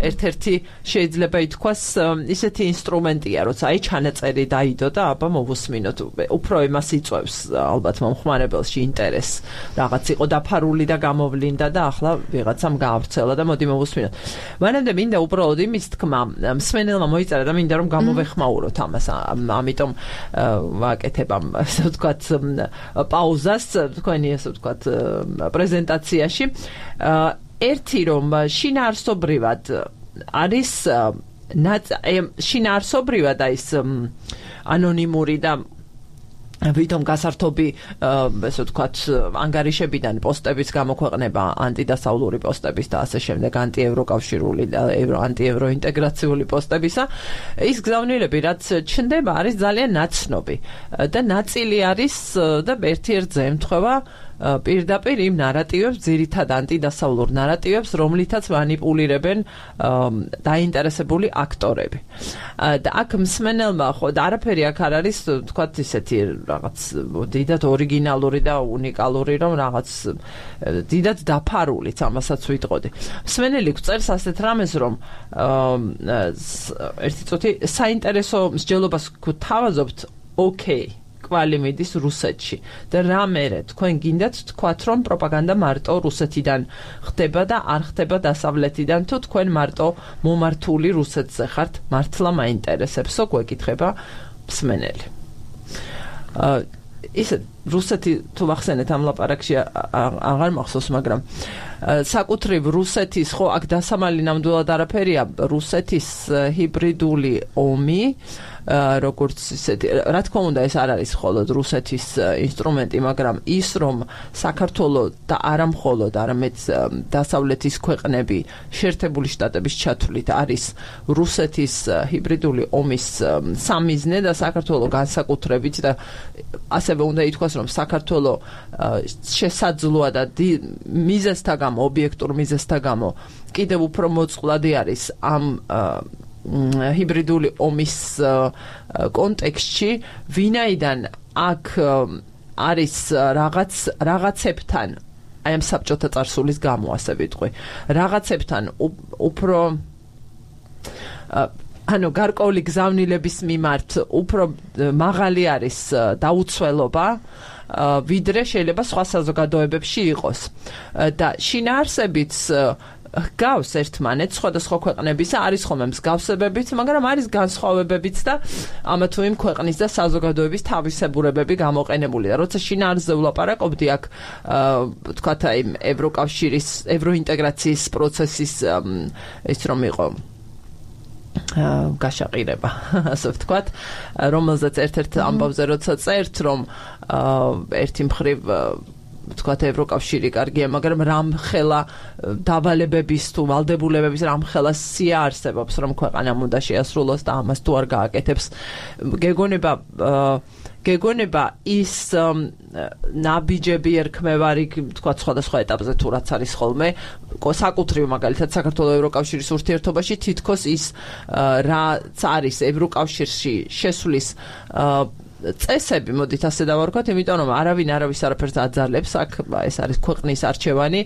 ერთ-ერთი შეიძლება ითქვას ისეთი ინსტრუმენტია, როცა აი ჩანაწერი დაიდო და აბა მოვუსმინოთ. უფრო იმას იწვევს ალბათ მომხმარებელში ინტერესს. რაღაც იყო დაფარული და გამოვლინდა და ახლა ვიღაცამ გაავრცელა და მოდი მოვუსმინოთ. მანამდე მინდა უბრალოდ იმის თქმა მსმენელმა მოიწერა და მინდა რომ გამოვეხმაუროთ ამას. ამიტომ ვაკეთებ ამ ასე ვთქვათ პაუზას თქვენი ასე ვთქვათ პრეზენტაციაში. ერთი რომ შინაარსობრივად არის შინაარსობრივად ის ანონიმური და ვითომ გასართობი ასე ვთქვათ ანგარიშებიდან პოსტების გამოქვეყნება ანტიდასავლური პოსტების და ასე შემდეგ ანტიევროკავშირული და ანტიევროინტეგრაციული პოსტებისა ის გზავნილები რაც ჩნდება არის ძალიან ნაცნობი და ნაწილი არის და ერთ-ერთი ემთხვევა პირდაპირ იმ ნარატივებს, ძირითად ანტიდასავლურ ნარატივებს, რომლითაც მანიპულირებენ დაინტერესებული აქტორები. და აქ მსმენელმა ხო და არაფერი აქ არ არის, თქვათ ისეთი რაღაც დიდად ორიგინალური და უნიკალური, რომ რაღაც დიდად დაფარულიც ამასაც ვიტყოდი. მსმენელი გწერს ასეთ რამეს, რომ ერთი წუთი საინტერესო მსჯელობას გვთავაზობთ, ოკეი. კვალი მიდის რუსეთში და რა მერე თქვენ გინდათ თქვათ რომ პროპაგანდა მარტო რუსეთიდან ხდება და არ ხდება დასავლეთიდან თუ თქვენ მარტო მომართული რუსეთზე ხართ მართლა მაინტერესებსო გვეკითხება მსმენელი. ის რუსეთი თუ ვახსენეთ ამ ლაპარაკში აღარ მახსოვს მაგრამ საკუთრივ რუსეთის ხო აქ დასამალი ნამდვილად არაფერია რუსეთის ჰიბრიდული ომი როგორც ისეთი რა თქმა უნდა ეს არ არის მხოლოდ რუსეთის ინსტრუმენტი მაგრამ ის რომ საქართველოს და არა მხოლოდ არამედ დასავლეთის ქვეყნები შეერთებული შტატების ჩათვლით არის რუსეთის ჰიბრიდული ომის სამიზნე და საქართველოს განსაკუთრებით და ასევე უნდა ითქვას რომ საქართველოს შესაძლოა და მიზეზთა გამო ობიექტურ მიზეზთა გამო კიდევ უფრო მოწყვლადი არის ამ ჰიბრიდული ომის კონტექსტში ვინაიდან აქ არის რაღაც რაღაცებთან აი ამ საბჭოთა წარსულის გამო ასე ვიტყვი რაღაცებთან უფრო ანუ გარკვეული გზავნილების მიმართ უფრო მაღალი არის დაუცველობა ვიდრე შეიძლება სხვა საზოგადოებებში იყოს და შინაარსებიც გავს ერთმანეთს სხვადასხვა ქვეყნებისა არის ხოლმე მსგავსებებიც, მაგრამ არის განსხვავებებიც და ამა თუ იმ ქვეყნის და საზოგადოების თავისებურებები გამოყენებული და როცა შინაარსზე ვლაპარაკობდი აქ თქვათ აი ევროკავშირის ევროინტეგრაციის პროცესის ის რომ იყო გაშაყირება ასე ვთქვათ რომელზეც ერთ-ერთ ამბავზე როცა წერთ რომ ერთი მხრივ თქვათ ევროკავშირი კარგია, მაგრამ რამ ხელა დავალებების თუ ვალდებულებების რამ ხელა სია არსებობს, რომ ქვეყანამ უნდა შეასრულოს და ამას თუ არ გააკეთებს. გეგონება გეგონება ის ნაბიჯები ერქმევარი, თქვათ სხვადასხვა ეტაპზე თუ რაც არის ხოლმე, საკუთრივ მაგალითად საქართველოს ევროკავშირის ურთიერთობაში თითქოს ის რაც არის ევროკავშირში შესვლის წესები, მოდით ასე დავარქვათ, იმიტომ რომ არავინ არავის არაფერს აძალებს, აქ ეს არის ქვეყნის არჩევანი.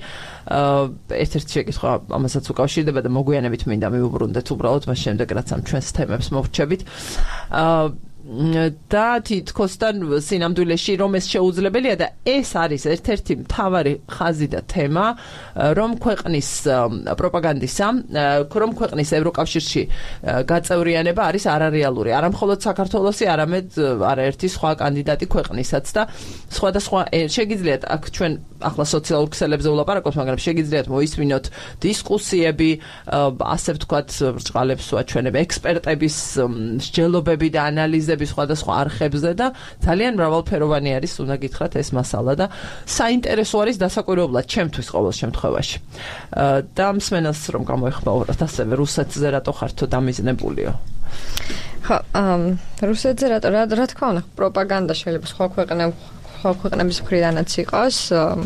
ერთ-ერთი შეკითხვა ამასაც უკავშირდება და მოგვიანებით მინდა მივუბრუნდეთ უბრალოდ მას შემდეგ, რაც ამ ჩვენს თემებს მოვრჩებით. და თითქოსთან სინამდვილეში რომ ეს შეუძლებელია და ეს არის ერთ-ერთი მთავარი ხაზი და თემა, რომ ქვეყნის პროპაგანდისა, რომ ქვეყნის ევროკავშირში გაწევრიანება არის არარეალური, არა მხოლოდ საქართველოსი, არამედ არაერთი სხვა კანდიდატი ქვეყნისაც და სხვადასხვა შეგიძლიათ აქ ჩვენ ახლა სოციალურ ქსელებზე ვლაპარაკობთ, მაგრამ შეგიძლიათ მოისმინოთ დისკუსიები, ასე ვთქვათ, ბრჭყალებს ვაჩვენებ ექსპერტების მსჯელობები და ანალიზები სხვადასხვა არხებზე და ძალიან მრავალფეროვანი არის, უნდა გითხრათ, ეს მასალა და საინტერესო არის დასაკვირვებლად ჩემთვის ყოველ შემთხვევაში. და მსმენელს რომ გამოეხმაუროთ ასევე რუსეთზე რატო ხართო დამიზნებულიო? ხო, რუსეთზე რატო რა თქმა უნდა, პროპაგანდა შეიძლება სხვა ქვეყნებს სხვა ქვეყნების მხრიდანაც იყოს,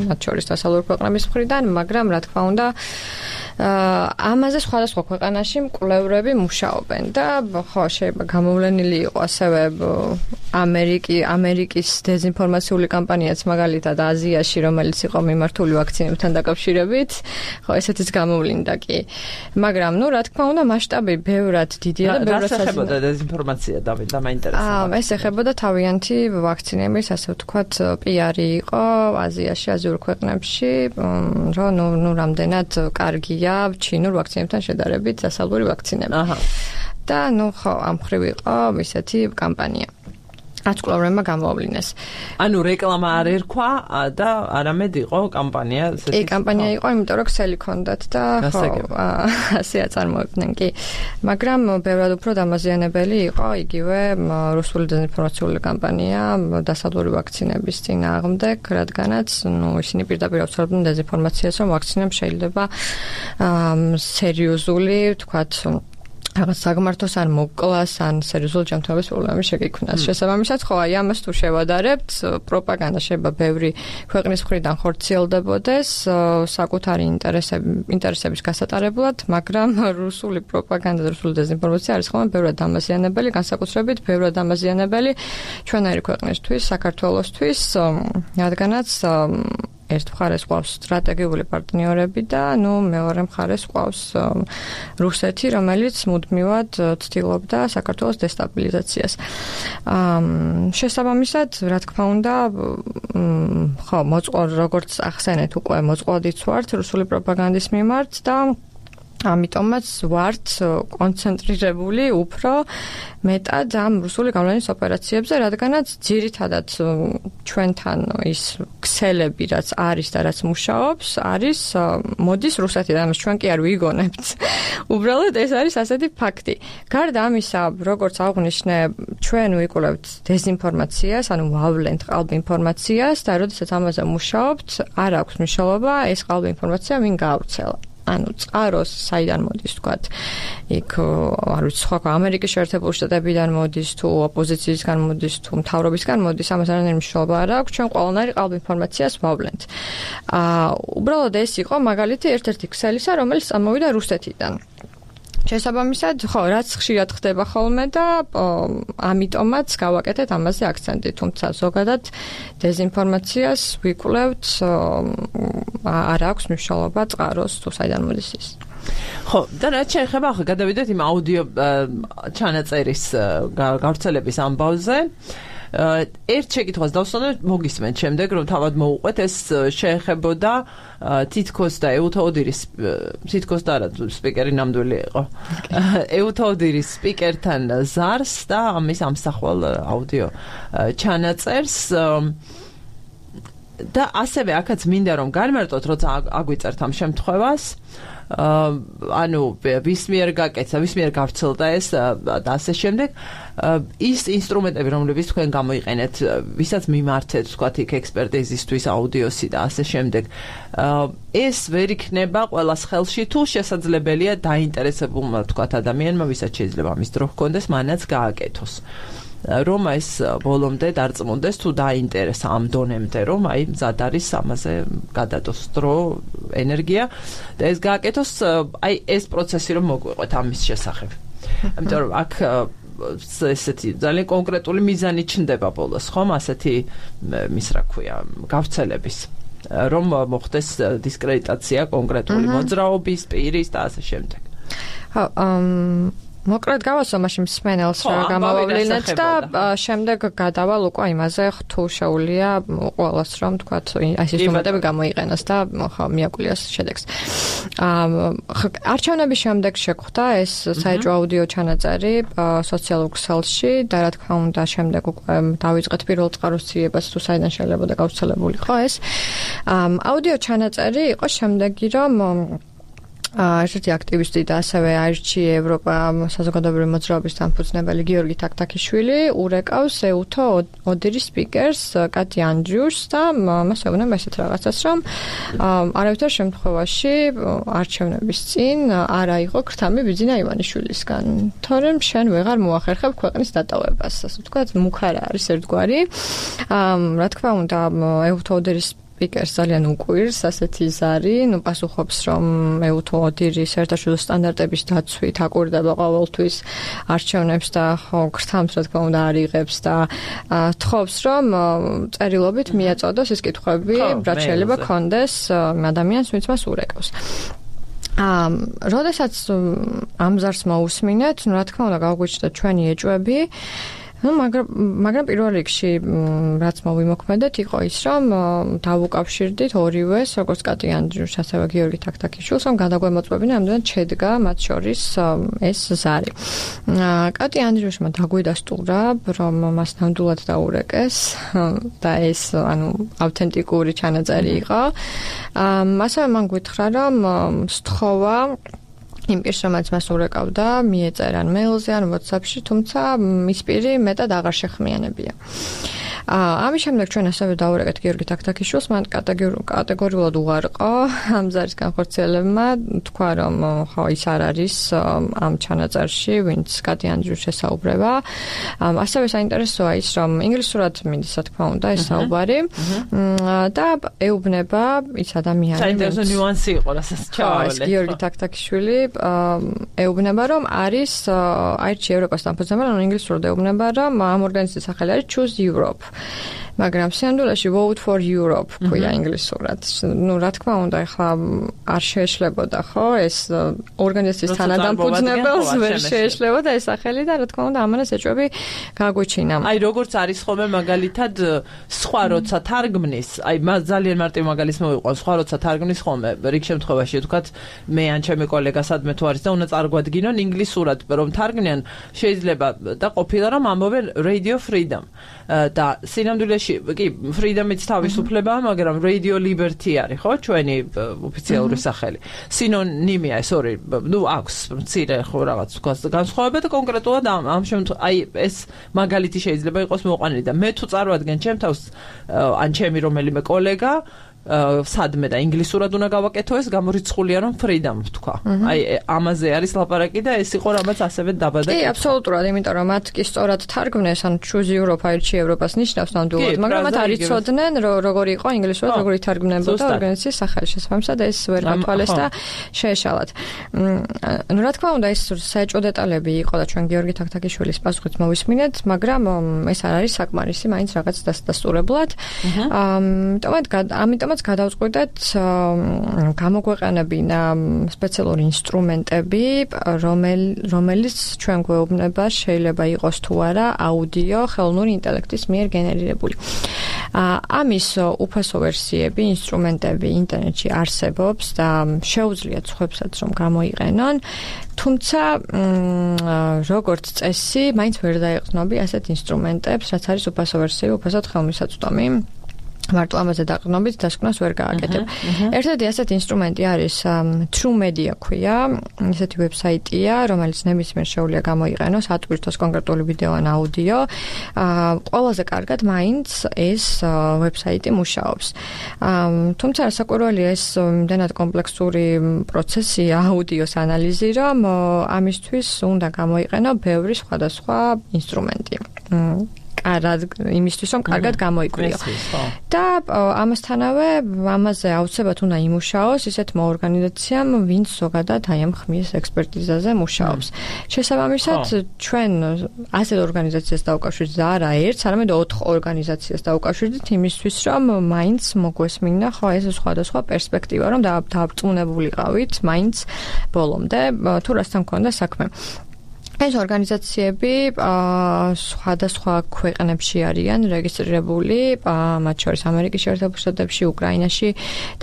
მათ შორის დასავლური ქვეყნების მხრიდან, მაგრამ რა თქმა უნდა ამაზე სხვადასხვა ქვეყანაში მკვლევრები მუშაობენ და ხო შეიძლება გამოვლენილი იყო ასევე ამერიკი ამერიკის დეзинფორმაციული კამპანიაც მაგალითად აზიაში, რომელიც იყო მიმართული ვაქცინებთან დაკავშირებით, ხო ესეთიც გამოვლინდა კი. მაგრამ ნუ რა თქმა უნდა მასშტაბი ბევრად დიდია და ბევრად ეხებოდა დეзинფორმაცია და მაინტერესებდა. აა ეს ეხებოდა თავიანთი ვაქცინების, ასე ვთქვათ, პიარი იყო აზიაში, აზიურ ქვეყნებში, რომ ნუ ნუ რამდენად კარგია ჩინურ ვაქცინებთან შედარებით დასავლური ვაქცინები. აჰა. და ნუ ხო ამ ხრივ იყო ისეთი კამპანია. აცკლოვრებმა გამოავლინეს. ანუ რეკლამა არ ერქვა და არამედ იყო კამპანია, ესეთი. კი, კამპანია იყო, იმიტომ რომ ქსელი ჰქონდათ და ხო, ასე აწარმოებდნენ კი. მაგრამ ბევრად უფრო დამაზიანებელი იყო იგივე რუსული დეзинფორმაციული კამპანია დასავლური ვაქცინების წინააღმდეგ, რადგანაც ნუ ისინი პირდაპირ აუცილებლად დეзинფორმაციას, რომ ვაქცინები შეიძლება სერიოზული, ვთქვათ, რაღაც საგმართოს ან მოკლას ან სერიოზული ჯანმრთელობის პრობლემები შეგიქმნას. შესაბამისად, ხო, აი ამას თუ შევადარებთ, პროპაგანდა შეიძლება ბევრი ქვეყნის მხრიდან ხორციელდებოდეს საკუთარი ინტერესები ინტერესების გასატარებლად, მაგრამ რუსული პროპაგანდა და რუსული დეзинფორმაცია არის ხოლმე ბევრად დამაზიანებელი, განსაკუთრებით ბევრად დამაზიანებელი ჩვენარი ქვეყნისთვის, საქართველოსთვის, რადგანაც ერთ მხარეს ყავს სტრატეგიული პარტნიორები და ნუ მეორე მხარეს ყავს რუსეთი, რომელიც მუდმივად ცდილობდა საქართველოს დესტაბილიზაციას. შესაბამისად, რა თქმა უნდა, ხო, მოწყვა როგორც ახსენეთ უკვე მოწყვლადიც ვართ რუსული პროპაგანდის მიმართ და ამიტომაც ვართ კონცენტრირებული უფრო მეტად ამ რუსული გავლენის ოპერაციებზე, რადგანაც ძირითადად ჩვენთან ის ქსელები, რაც არის და რაც მუშაობს, არის მოდის რუსეთიდან, ამას ჩვენ კი არ ვიგონებთ. უბრალოდ ეს არის ასეთი ფაქტი. გარდა ამისა, როგორც აღვნიშნე, ჩვენ ვიკვლევთ დეзинფორმაციას, ანუ ვავლენთ ყალბ ინფორმაციას და როდესაც ამაზე მუშაობთ, არ აქვს მნიშვნელობა ეს ყალბ ინფორმაცია ვინ გაავრცელა. ანუ წყაროს საიდან მოდის, თქვათ, იქ არ ვიცი, სხვა ამერიკის შეერთებული შტატებიდან მოდის, თუ ოპოზიციისგან მოდის, თუ მთავრობისგან მოდის, ამას არანაირი მნიშვნელობა არ აქვს, ჩვენ ყველანაირი ყალბ ინფორმაციას ვავლენთ. აა, უბრალოდ ეს იყო მაგალითი ერთ-ერთი ქსელისა, რომელიც წამოვიდა რუსეთიდან. შესაბამისად, ხო, რაც ხშირად ხდება ხოლმე და ამიტომაც გავაკეთეთ ამაზე აქცენტი, თუმცა ზოგადად დეзинფორმაციას ვიკვლევთ, არ აქვს მნიშვნელობა წყაროს თუ საიდან მოდის ის. ხო, და რაც შეეხება, ახლა გადავიდეთ იმ აუდიო ჩანაწერის გავრცელების ამბავზე. ერთ შეკითხვას დავსვანოთ, მოგისმენთ შემდეგ, რომ თავად მოუყვეთ, ეს შეეხებოდა თითქოს და ეუთაოდირის თითქოს და არა სპიკერი ნამდვილი იყო. ეუთაოდირის სპიკერთან ზარს და ამის ამსახველ აუდიო ჩანაწერს. და ასევე აქაც მინდა რომ განმარტოთ, როცა აგვიწერთ ამ შემთხვევას, ანუ ვის მიერ გაკეთა, ვის მიერ გავრცელდა ეს და ასე შემდეგ, ის ინსტრუმენტები, რომლებიც თქვენ გამოიყენეთ, ვისაც მიმართეთ, თქვათ იქ ექსპერტიზისთვის, აუდიოსი და ასე შემდეგ, ეს ვერ იქნება ყველას ხელში, თუ შესაძლებელია დაინტერესებულმა, თქვათ, ადამიანმა, ვისაც შეიძლება ამის დრო ჰქონდეს, მანაც გააკეთოს. რომ ეს ბოლომდე დარწმუნდეს თუ დაინტერესა ამ დონემდე, რომ აი მზად არის ამაზე გადადოს დრო, ენერგია და ეს გააკეთოს, აი ეს პროცესი რომ მოგვიყვეთ ამის შესახებ. ამიტომ რომ აქ ესეთი ძალიან კონკრეტული მიზანი ჩნდება ბოლოს, ხომ, ასეთი ის რა ქვია, გავრცელების, რომ მოხდეს დისკრედიტაცია კონკრეტული მოძრაობის, პირის და ასე შემდეგ. ხო, მოკლედ გავასო მაშინ მსმენელს რა გამოვავლინეთ და შემდეგ გადავალ უკვე იმაზე, თუ შეუძლია ყველას რომ თქვათ ეს ინსტრუმენტები გამოიყენოს და ხო მიაკვლიოს შედეგს. არჩევნების შემდეგ შეგვხვდა ეს საეჭვო აუდიო ჩანაწერი სოციალურ ქსელში და რა თქმა უნდა შემდეგ უკვე დავიწყეთ პირველ წყაროს ძიებას, თუ საიდან შეიძლება და გავრცელებულიყო ეს. აუდიო ჩანაწერი იყო შემდეგი, რომ ერთ-ერთი აქტივისტი და ასევე აირჩი ევროპა საზოგადოებრივი მოძრაობის დამფუძნებელი გიორგი თაქთაქიშვილი ურეკავს ეუთო ოდირის სპიკერს კატი andrius და მას ეუბნება ესეთ რაღაცას, რომ არავითარ შემთხვევაში არჩევნების წინ არ აიღო ქრთამი ბიძინა ივანიშვილისგან, თორემ შენ ვეღარ მოახერხებ ქვეყნის დატოვებას, ასე ვთქვათ, მუქარა არის ერთგვარი. რა თქმა უნდა, ეუთო ოდირის სპიკერს ძალიან უკვირს ასეთი ზარი, ნუ პასუხობს, რომ ეუთო ოდირი საერთაშორისო სტანდარტების დაცვით აკვირდება ყოველთვის არჩევნებს და ხო ქრთამს რა თქმა უნდა არ იღებს და თხოვს, რომ წერილობით მიაწოდოს ეს კითხვები, რაც შეიძლება ქონდეს ადამიანს, ვინც მას ურეკავს. ამ, როდესაც ამ ზარს მოусმინეთ, ნუ რა თქმა უნდა გავგვიჩნდა ჩვენი ეჭვები. Ну, მაგრამ მაგრამ პირველ რიგში რაც მოვიმოქმედეთ იყო ის, რომ დავუკავშირდით ორივეს, როგორც კატი andrius, ასევე გიორგი თაქთაქიშვილს, რომ გადაგვემოწმებინა ამდენად შედგა მათ შორის ეს ზარი. კატი andriusმა დაგვიდასტურა, რომ მას ნამდვილად დაურეკეს და ეს, ანუ ავთენტიკური ჩანაწერი იყო. ასევე მან გითხრა, რომ სთხოვა იმ პირს, რომელიც მას ურეკავდა, მიეწერა ან მეილზე, ან WhatsApp-ში, თუმცა მის პირი მეტად აღარ შეხმიანებია. ამის შემდეგ ჩვენ ასევე დაურეკეთ გიორგი თაქთაქიშვილს, მან კატეგორიულად უარყო ამ ზარის განხორციელებმა, თქვა, რომ ხო ის არ არის ამ ჩანაწერში, ვინც კატი andrius შესაუბრება. ასევე საინტერესოა ის, რომ ინგლისურად მინდის, რა თქმა უნდა, ეს საუბარი და ეუბნება ის ადამიანი, საინტერესო ნიუანსი იყო, რასაც ჩავავალე. გიორგი თაქთაქიშვილი ეუბნება, რომ არის აირჩი ევროპას დამფუძნებელი, ანუ ინგლისურად ეუბნება, რომ ამ ორგანიზაციის სახელი არის Choose Europe. მაგრამ სინამდვილეში vote for Europe ქვია ინგლისურად. ნუ რა თქმა უნდა, ახლა არ შეეშლებოდა, ხო, ეს ორგანიზაციის თანადამფუძნებელს ვერ შეეშლებოდა ეს სახელი და რა თქმა უნდა, ამანაც ეჭვები გაგვიჩინა. აი, როგორც არის ხოლმე მაგალითად სხვა როცა თარგმნის, აი, ძალიან მარტივ მაგალითს მოვიყვან, სხვა როცა თარგმნის ხოლმე, რიგ შემთხვევაში, თქვათ, მე ან ჩემი კოლეგა სადმე თუ არის და უნდა წარგვადგინონ ინგლისურად, რომ თარგმნიან, შეიძლება და ყოფილა რომ ამბობენ Radio Freedom და სინამდვილეში კი, freedom-იც თავისუფლებაა, მაგრამ Radio Liberty არის, ხო, ჩვენი ოფიციალური სახელი. სინონიმია ეს ორი, ნუ აქვს მცირე ხო რაღაც განსხვავება და კონკრეტულად ამ ამ შემთხვევაში, აი ეს მაგალითი შეიძლება იყოს მოყვანილი და მე თუ წარვადგენ ჩემ თავს ან ჩემი რომელიმე კოლეგა სადმე და ინგლისურად უნდა გავაკეთო ეს გამორიცხულია რომ freedom ვთქვა. აი ამაზე არის ლაპარაკი და ეს იყო რამაც ასევე დაბადა. კი, აბსოლუტურად, იმიტომ რომ მათ კი სწორად თარგმნეს, ან Choose Europe აირჩი ევროპას ნიშნავს ნამდვილად, მაგრამ მათ არ იცოდნენ როგორი იყო ინგლისურად, როგორი თარგმნებოდა ორგანიზაციის სახელი შესაბამისად და ეს ვერ გათვალეს და შეეშალათ. ნუ რა თქმა უნდა, ეს საეჭვო დეტალები იყო და ჩვენ გიორგი თაქთაქიშვილის პასუხით მოვისმინეთ, მაგრამ ეს არ არის საკმარისი, მაინც რაღაც დასტურებლად. ამიტომაც ამიტომაც გადავწყვიტეთ გამოგვეყენებინა სპეციალური ინსტრუმენტები, რომელიც ჩვენ გვეუბნება შეიძლება იყოს თუ არა აუდიო ხელოვნური ინტელექტის მიერ გენერირებული. ამის უფასო ვერსიები, ინსტრუმენტები ინტერნეტში არსებობს და შეუძლიათ სხვებსაც რომ გამოიყენონ, თუმცა როგორც წესი, მაინც ვერ დაეყრდნობი ასეთ ინსტრუმენტებს, რაც არის უფასო ვერსია, უფასოდ ხელმისაწვდომი. მარტო ამაზე დაყრდნობით დასკვნას ვერ გააკეთებ. ერთადერთი ასეთი ინსტრუმენტი არის True Media ქვია, ესეთი ვებსაიტია, რომელიც ნებისმიერ შეუძლია გამოიყენოს, ატვირთოს კონკრეტული ვიდეო ან აუდიო. ყველაზე კარგად მაინც ეს ვებსაიტი მუშაობს. თუმცა საკვირველია ეს იმდენად კომპლექსური პროცესია აუდიოს ანალიზი, რომ ამისთვის უნდა გამოიყენო ბევრი სხვადასხვა ინსტრუმენტი. კარად იმისთვის რომ კარგად გამოიკვლიო. და ამასთანავე ამაზე აუცილებლად უნდა იმუშაოს ისეთმა ორგანიზაციამ, ვინც ზოგადად აი ამ ხმის ექსპერტიზაზე მუშაობს. შესაბამისად, ჩვენ ასეთ ორგანიზაციას დავუკავშირდით და არა ერთს, არამედ ოთხ ორგანიზაციას დავუკავშირდით იმისთვის, რომ მაინც მოგვესმინა ხო ეს სხვადასხვა პერსპექტივა, რომ დაბრწმუნებულიყავით მაინც ბოლომდე, თუ რასთან გქონდა საქმე. ეს ორგანიზაციები სხვადასხვა ქვეყნებში არიან რეგისტრირებული, მათ შორის ამერიკის შეერთებულ შტატებში, უკრაინაში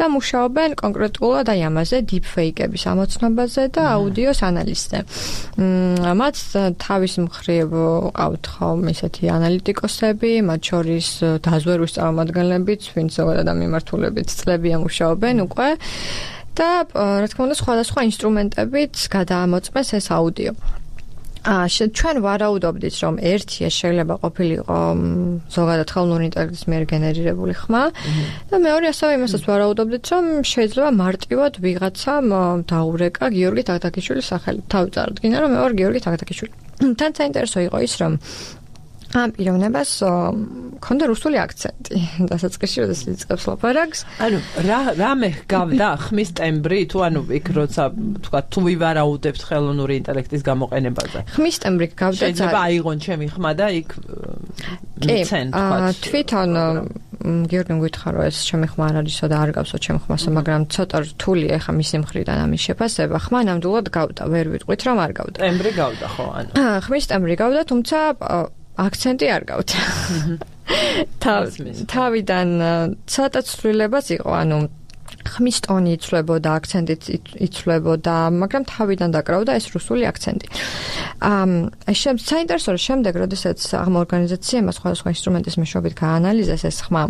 და მუშაობენ კონკრეტულად აი ამაზე, deepfake-ების ამოცნობაზე და აუდიოს ანალიზზე. მათ თავის მხრივ ყავთ ხომ ისეთი ანალიტიკოსები, მათ შორის დაზვერვის წარმომადგენლებიც, ვინც ზოგადად ამ მიმართულებით წლებია მუშაობენ უკვე და რა თქმა უნდა სხვადასხვა ინსტრუმენტებით გადაამოწმეს ეს აუდიო. აა ჩვენ ვარაუდობდით რომ ერთი ეს შეიძლება ყოფილიყო ზოგადად ხელოვნური ინტელექტის მიერ გენერირებული ხმა და მეორე ასევე იმასაც ვარაუდობდით რომ შეიძლება მარტივად ვიღაცამ დაურეკა გიორგი თაქთაქიშვილის სახელი. თავი წარადგინა რომ მე ვარ გიორგი თაქთაქიშვილი. თან საინტერესო იყო ის რომ ამ პიროვნებას ქონდა რუსული აქცენტი. დასაწყისში როდესაც იწყებს ლაპარაკს. ანუ რა რამე გავდა ხმის ტემბრი თუ ანუ იქ როცა თქვა თუ ვივარაუდებთ ხელოვნური ინტელექტის გამოყენებაზე. ხმის ტემბრი გავდა. შეიძლება აიღონ ჩემი ხმა და იქ მიცენ თქვა. თვითონ გიორგი მგვითხრა რომ ეს ჩემი ხმა არ არისო და არ გავსო ჩემ ხმასო, მაგრამ ცოტა რთულია ხა მისი მხრიდან ამის შეფასება. ხმა ნამდვილად გავდა, ვერ ვიტყვით რომ არ გავდა. ტემბრი გავდა ხო ანუ. ხმის ტემბრი გავდა, თუმცა აქცენტი არ გავდა. თავიდან ცოტა ცვლილებაც იყო, ანუ ხმის ტონი იცვლებოდა, აქცენტიც იცვლებოდა, მაგრამ თავიდან დაკრავდა ეს რუსული აქცენტი. აა საინტერესო რომ შემდეგ, როდესაც ამ ორგანიზაციამ სხვადასხვა ინსტრუმენტის მეშვეობით გაანალიზეს ეს ხმა,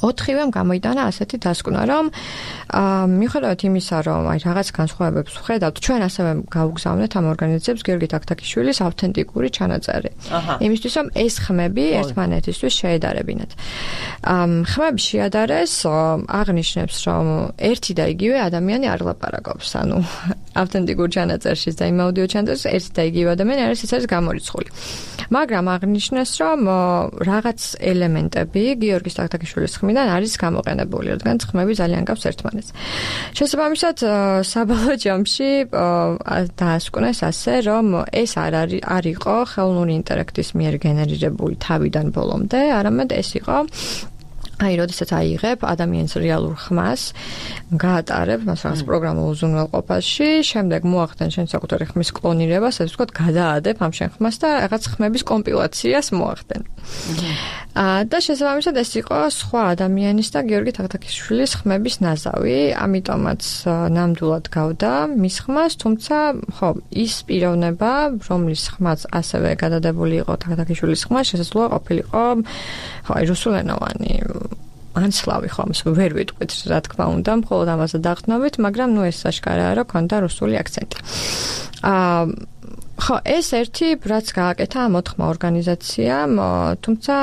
ოთხივემ გამოიტანა ასეთი დასკვნა, რომ აა მიუხედავად იმისა, რომ აი რაღაც განსხვავებებს ვხედავთ, ჩვენ ასევე გავუგზავნეთ ამ ორგანიზაციებს გიორგი თაქთაქიშვილის ავთენტიკური ჩანაწერი. იმისთვის, რომ ეს ხმები ერთმანეთისთვის შეედარებინათ. აა ხმები შეადარეს აღნიშნებს, რომ ერთი და იგივე ადამიანი არ ლაპარაკობს, ანუ ავთენტიკურ ჩანაწერში და იმ აუდიო ჩანაწერში ერთი და იგივე ადამიანი არის ის არის გამორიცხული. მაგრამ აღნიშნეს, რომ რაღაც ელემენტები გიორგის თაქთაქიშვილის ხმიდან არის გამოყენებული, რადგან ხმები ძალიან გავს ერთმანეთს. შესაბამისად, საბოლოო ჯამში დაასკვნეს ასე, რომ ეს არ არის არ იყო ხელოვნური ინტელექტის მიერ გენერირებული თავიდან ბოლომდე, არამედ ეს იყო აი, როდესაც აიღებ ადამიანის რეალურ ხმას, გაატარებ მას რაღაც პროგრამულ უზრუნველყოფაში, შემდეგ მოახდენ შენ საკუთარი ხმის კლონირებას, ასე ვთქვათ, გადაადებ ამ შენ ხმას და რაღაც ხმების კომპილაციას მოახდენ. აა და შესაბამისად ეს იყო სხვა ადამიანის და გიორგი თაქთაქიშვილის ხმების ნაზავი, ამიტომაც ნამდვილად გავდა მის ხმას, თუმცა ხო, ის პიროვნება, რომლის ხმაც ასევე გადადებული იყო თაქთაქიშვილის ხმა, შესაძლოა ყოფილიყო ხო, აი რუსულენოვანი ანსლავი ხო ამას ვერ ვიტყვით რა თქმა უნდა, მხოლოდ ამაზე დაყრდნობით, მაგრამ ნუ ეს აშკარაა, რომ ქონდა რუსული აქცენტი. აა ხო, ეს ერთი რაც გააკეთა ამ ოთხმა ორგანიზაციამ, თუმცა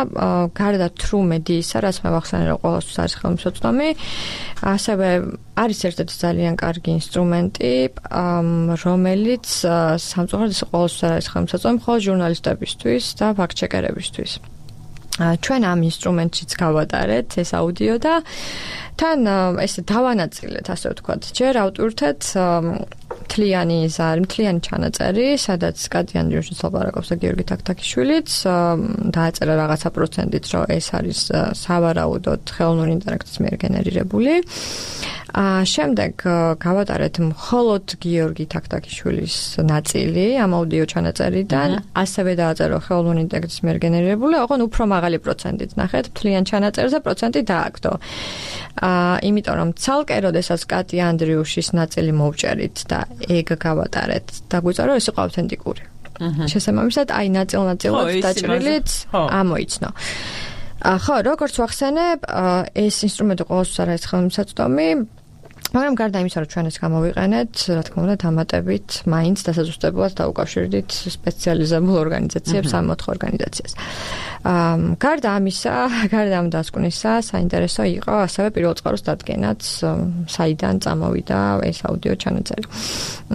გარდა True Media-ისა, რაც მე ვახსენე, რომ ყოველთვის არის ხელმისაწვდომი, ასევე არის ერთ-ერთი ძალიან კარგი ინსტრუმენტი, რომელიც სამწუხაროდ ყოველთვის არის ხელმისაწვდომი მხოლოდ ჟურნალისტებისთვის და ფაქტ-ჩეკერებისთვის. ჩვენ ამ ინსტრუმენტშიც გავატარეთ ეს აუდიო და თან ესე დავანაწილეთ, ასე ვთქვათ, ჯერ ავტვირთეთ მთლიანი ზარი, მთლიანი ჩანაწერი, სადაც კატი ანდრიუშიც ლაპარაკობს და გიორგი თაქთაქიშვილიც დააწერა რაღაცა პროცენტით, რომ ეს არის სავარაუდოდ ხელოვნური ინტელექტის მიერ გენერირებული. აა შემდეგ გავატარეთ მხოლოდ გიორგი თაქთაქიშვილის ნაწილი ამ აუდიო ჩანაწერიდან, ასევე დააწერა ხელოვნური ინტელექტის მიერ გენერირებული, ოღონდ უფრო მაღალი პროცენტით. ნახეთ, მთლიან ჩანაწერზე პროცენტი დააგდო. აა იმიტომ რომ ცალკე როდესაც კატი ანდრიუშის ნაწილი მოვჭერით და ეგ გავატარეთ, დაგვიწვა რომ ეს იყო ავთენტიკური. შესაბამისად, აი ნაწილ-ნაწილად დაჭრილიც ამოიცნო. ხო, როგორც ვახსენებ, ეს ინსტრუმენტი ყოველთვის არის ხელმისაწვდომი, მაგრამ გარდა იმისა, რომ ჩვენ ეს გამოვიყენეთ, რა თქმა უნდა, დამატებით მაინც დასაზუსტებლად დაუკავშირდით სპეციალიზებულ ორგანიზაციებს, სამოთხო ორგანიზაციას. აა გარდა ამისა, გარდა ამ დასკვნისა, საინტერესო იყო ასევე პირველ წყაროს დადგენაც, საიდან წამოვიდა ეს აუდიო ჩანაწერი.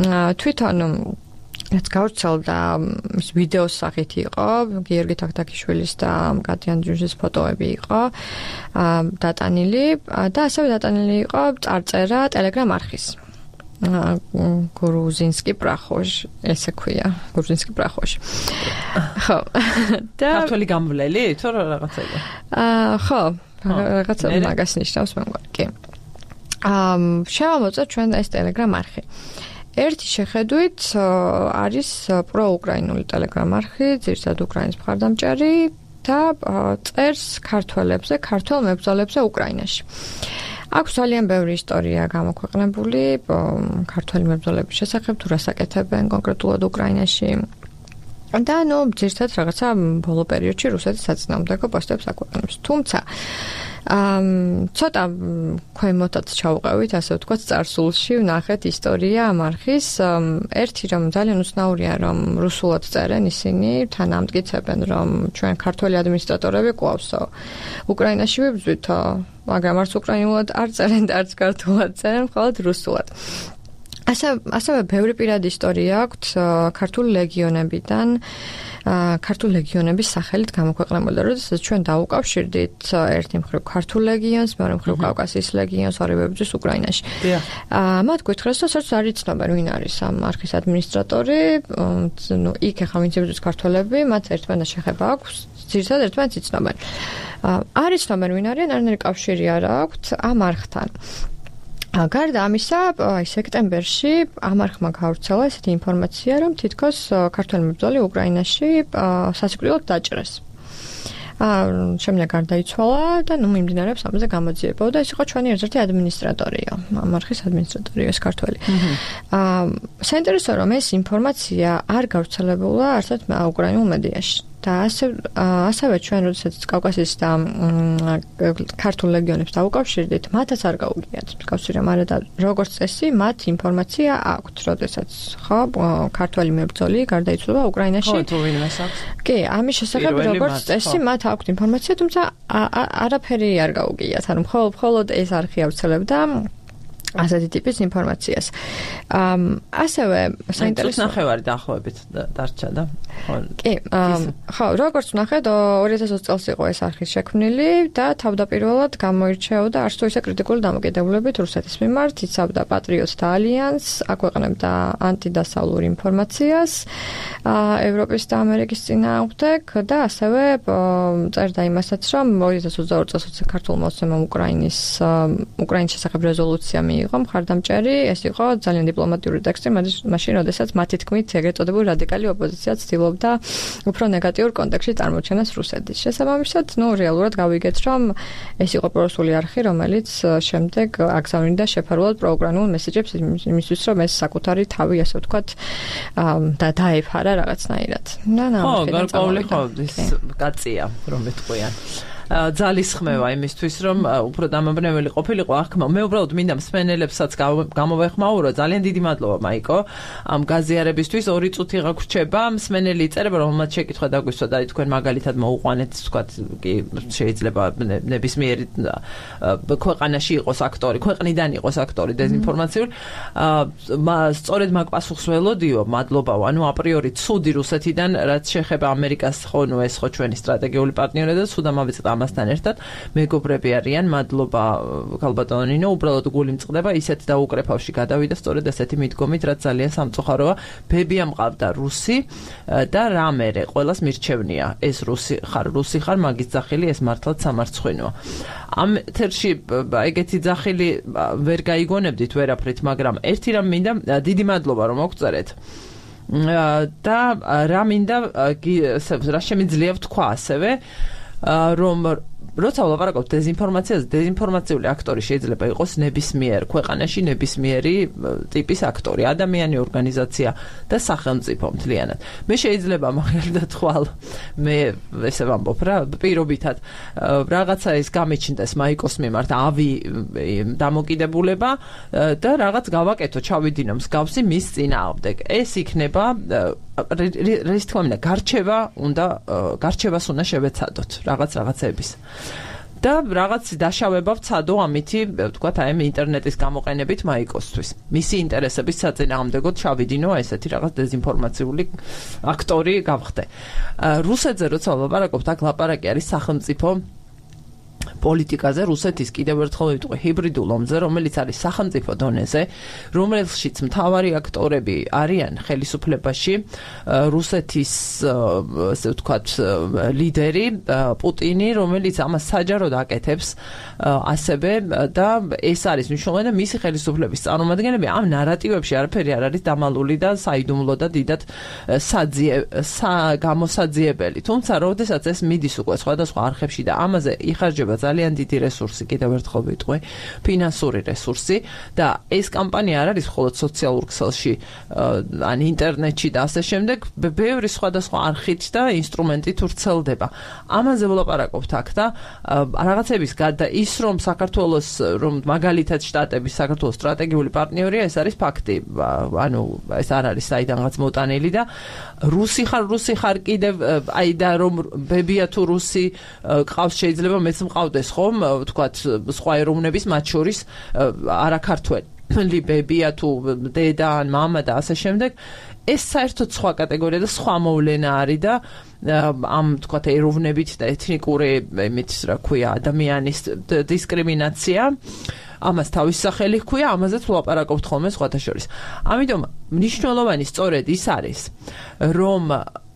აა თვითონ რაც გავრცელდა ის ვიდეოს სახით იყო, გიორგი თაქთაქიშვილის და კატიან ჯუჟის ფოტოები იყო დატანილი და ასევე დატანილი იყო წარწერა Telegram არხის. გრუზინსკი პრახოშ, ესე ქვია, გრუზინსკი პრახოშ. ხო. და ქართველი გამვლელი, თუ რაღაცაა. აა, ხო, რაღაცა მაგას ნიშნავს მე მგონი, კი. აა, შევამოწმოთ ჩვენ ეს Telegram არხი. ერთი შეხედვით არის პროუკრაინული Telegram არხი, ძირითადად უკრაინის მხარდამჭერი და წერს ქართველებზე, ქართველ მებრძოლებზე უკრაინაში. აქვს ძალიან ბევრი ისტორია გამოქვეყნებული ქართველი მებრძოლების შესახებ, თუ რას აკეთებენ კონკრეტულად უკრაინაში. და ნუ ძირითადად რაღაცა ბოლო პერიოდში რუსეთის საწინააღმდეგო პოსტებს აქვეყნებს. თუმცა ამ ცოტა ქვემოთაც ჩავყევით, ასე ვთქვათ, წარსულში ვნახეთ ისტორია ამ არხის. ერთი რომ ძალიან უცნაურია, რომ რუსულად წერენ ისინი, თან ამტკიცებენ, რომ ჩვენ ქართველი ადმინისტრატორები გვყავსო. უკრაინაში ვიბრძვითო, მაგრამ არც უკრაინულად არ წერენ და არც ქართულად წერენ, მხოლოდ რუსულად. ასე ასევე ბევრი პირადი ისტორია აქვთ ქართული ლეგიონებიდან, ქართული ლეგიონების სახელით გამოქვეყნებული, როდესაც ჩვენ დაუკავშირდით ერთი მხრივ ქართულ ლეგიონს, მეორე მხრივ კავკასიის ლეგიონს, ორივე ბრძვის უკრაინაში. მათ გითხრეს, რომ საერთოდ არ იცნობენ, ვინ არის ამ არხის ადმინისტრატორი, ნუ იქ ახლა ვინც იბრძვის ქართველები, მათ ერთმანეთს შეხება აქვს, ძირითადად ერთმანეთს იცნობენ. არ იცნობენ, ვინ არიან, არანაირი კავშირი არ აქვთ ამ არხთან. გარდა ამისა, სექტემბერში ამ არხმა გავრცელა ესეთი ინფორმაცია, რომ თითქოს ქართველი მებრძოლი უკრაინაში სასიკვდილოდ დაჭრეს. შემდეგ გარდაიცვალა და ნუ მიმდინარეობს ამაზე გამოძიება და ეს იყო ჩვენი ერთ-ერთი ადმინისტრატორია, ამ არხის ადმინისტრატორია ეს ქართველი. საინტერესო რომ ეს ინფორმაცია არ გავრცელებულა არცერთ უკრაინულ მედიაში. და ასე ასევე ჩვენ როდესაც კავკასიის და ქართულ ლეგიონებს დაუკავშირდით, მათაც არ გაუგიათ კავშირი, მაგრამ და როგორც წესი, მათ ინფორმაცია აქვთ, როდესაც ხო, ქართველი მებრძოლი გარდაიცვალა უკრაინაში. ხო, თუ ვინმეს აქვს. კი, ამის შესახებ როგორც წესი, მათ აქვთ ინფორმაცია, თუმცა არაფერი არ გაუგიათ, ანუ მხოლოდ ეს არხი ავრცელებდა ასეთი ტიპის ინფორმაციას. ასევე საინტერესო ნახევარი დაახლოებით დარჩა და კი, ხო, როგორც ვნახეთ, ორი ათას ოცი წელს იყო ეს არხი შექმნილი და თავდაპირველად გამოირჩეოდა არც თუ ისე კრიტიკული დამოკიდებულებით რუსეთის მიმართ, იცავდა პატრიოტთა ალიანსს, აქვეყნებდა ანტიდასავლურ ინფორმაციას ევროპის და ამერიკის წინააღმდეგ და ასევე წერდა იმასაც, რომ ორი ათას ოცდაორი წელს ქართულ მოსემამ უკრაინის უკრაინის შესახებ რეზოლუცია მიიღო მხარდამჭერი, ეს იყო ძალიან დიპლომატიური ტექსტი, მაშინ როდესაც მათი თქმით ეგრეთ წოდებული რადიკალი ოპოზიცია ცდილობდა უფრო ნეგატიურ კონტექსტში წარმოჩენას რუსეთის. შესაბამისად, ნუ რეალურად გავიგეთ, რომ ეს იყო პრორუსული არხი, რომელიც შემდეგ აგზავნიდა შეფარულად პროუკრაინულ მესეჯებს იმისთვის, რომ ეს საკუთარი თავი, ასე ვთქვათ, და დაეფარა რაღაცნაირად. ხო, გარკვეული ხო, ის კაცია, რომ მეთქვიან. ძალისხმევა იმისთვის, რომ უფრო დამაბნეველი ყოფილიყო აღქმა. მე უბრალოდ მინდა მსმენელებსაც გამოვეხმაურო. ძალიან დიდი მადლობა, მაიკო. ამ გაზიარებისთვის ორი წუთი გაგვრჩება. მსმენელი იწერება, რომ მათ შეკითხვა დაგვისვა და თქვენ მაგალითად მოუყვანეთ, თქვათ, კი შეიძლება ნებისმიერი ქვეყანაში იყოს აქტორი, ქვეყნიდან იყოს აქტორი დეზინფორმაციული. სწორედ მაგ პასუხს ველოდიო, მადლობაო. ანუ აპრიორი ცუდი რუსეთიდან, რაც შეეხება ამერიკას, ხო, ნუ ეს ხო ჩვენი სტრატეგიული პარტნიორი და ცუდა მავიწყდა ამასთან ერთად მეგობრები არიან, მადლობა ქალბატონინო, უბრალოდ გული მწყდება, ისეთ დაუკრეფავში გადავიდა სწორედ ესეთი მიდგომით, რაც ძალიან სამწუხაროა. ბებია მყავდა რუსი და რამერე ყველას მირჩევნია, ეს რუსი ხარ, რუსი ხარ, მაგის ძახილი ეს მართლაც სამარცხვინოა. ამ ეთერში ეგეთი ძახილი ვერ გაიგონებდით ვერაფრით, მაგრამ ერთი რამ მინდა, დიდი მადლობა რომ მოგწერეთ. და რა მინდა, რა შემიძლია ვთქვა ასევე, რომ როცა ვლაპარაკობთ დეზინფორმაციაზე, დეზინფორმაციული აქტორი შეიძლება იყოს ნებისმიერ ქვეყანაში ნებისმიერი ტიპის აქტორი, ადამიანი, ორგანიზაცია და სახელმწიფო მთლიანად. მე შეიძლება მაგალითად ხვალ მე ესე ვამბობ რა, პირობითად რაღაცა ის გამეჩნდეს მაიკოს მიმართ ავი დამოკიდებულება და რაღაც გავაკეთო, ჩავიდინო მსგავსი მის წინააღმდეგ. ეს იქნება რის თქმა უნდა გარჩევა უნდა გარჩევას უნდა შევეცადოთ რაღაც რაღაცების. და რაღაც დაშავება ვცადო ამითი, ვთქვათ, აი ინტერნეტის გამოყენებით მაიკოსთვის. მისი ინტერესების საწინააღმდეგოდ ჩავიდინო ესეთი რაღაც დეზინფორმაციული აქტორი გავხდე. რუსეთზე როცა ვლაპარაკობთ, აქ ლაპარაკი არის სახელმწიფო პოლიტიკაზე, რუსეთის კიდევ ერთხელ ვიტყვი ჰიბრიდულ ომზე, რომელიც არის სახელმწიფო დონეზე, რომელშიც მთავარი აქტორები არიან ხელისუფლებაში, რუსეთის ასე ვთქვათ ლიდერი პუტინი, რომელიც ამას საჯაროდ აკეთებს ასევე და ეს არის მნიშვნელოვანი და მისი ხელისუფლების წარმომადგენლები ამ ნარატივებში არაფერი არ არის დამალული და საიდუმლო და დიდად საძიე გამოსაძიებელი. თუმცა, როდესაც ეს მიდის უკვე სხვადასხვა არხებში და ამაზე იხარჯება ძალიან დიდი რესურსი, კიდევ ერთხელ ვიტყვი, ფინანსური რესურსი და ეს კამპანია არ არის მხოლოდ სოციალურ ქსელში, ან ინტერნეტში და ასე შემდეგ, ბევრი სხვადასხვა არხით და ინსტრუმენტით ვრცელდება. ამაზე ვლაპარაკობთ აქ და რაღაცების გარდა ის, რომ საქართველოს, რომ მაგალითად შტატების საქართველოს სტრატეგიული პარტნიორია, ეს არის ფაქტი. ანუ ეს არ არის საიდანღაც მოტანილი და რუსი ხარ, რუსი ხარ კიდევ აი და რომ ბებია თუ რუსი ყავს, შეიძლება მეც მყავდეს ხომ, ვთქვათ, სხვა ეროვნების მათ შორის არა ქართველი ბებია თუ დედა ან მამა და ასე შემდეგ. ეს საერთოდ სხვა კატეგორია და სხვა მოვლენა არის და ამ ვთქვათ ეროვნებით და ეთნიკური იმით რა ქვია ადამიანის დისკრიმინაცია ამას თავის სახელი ჰქვია, ამაზეც ვლაპარაკობთ ხოლმე სხვათა შორის. ამიტომ მნიშვნელოვანი სწორედ ის არის, რომ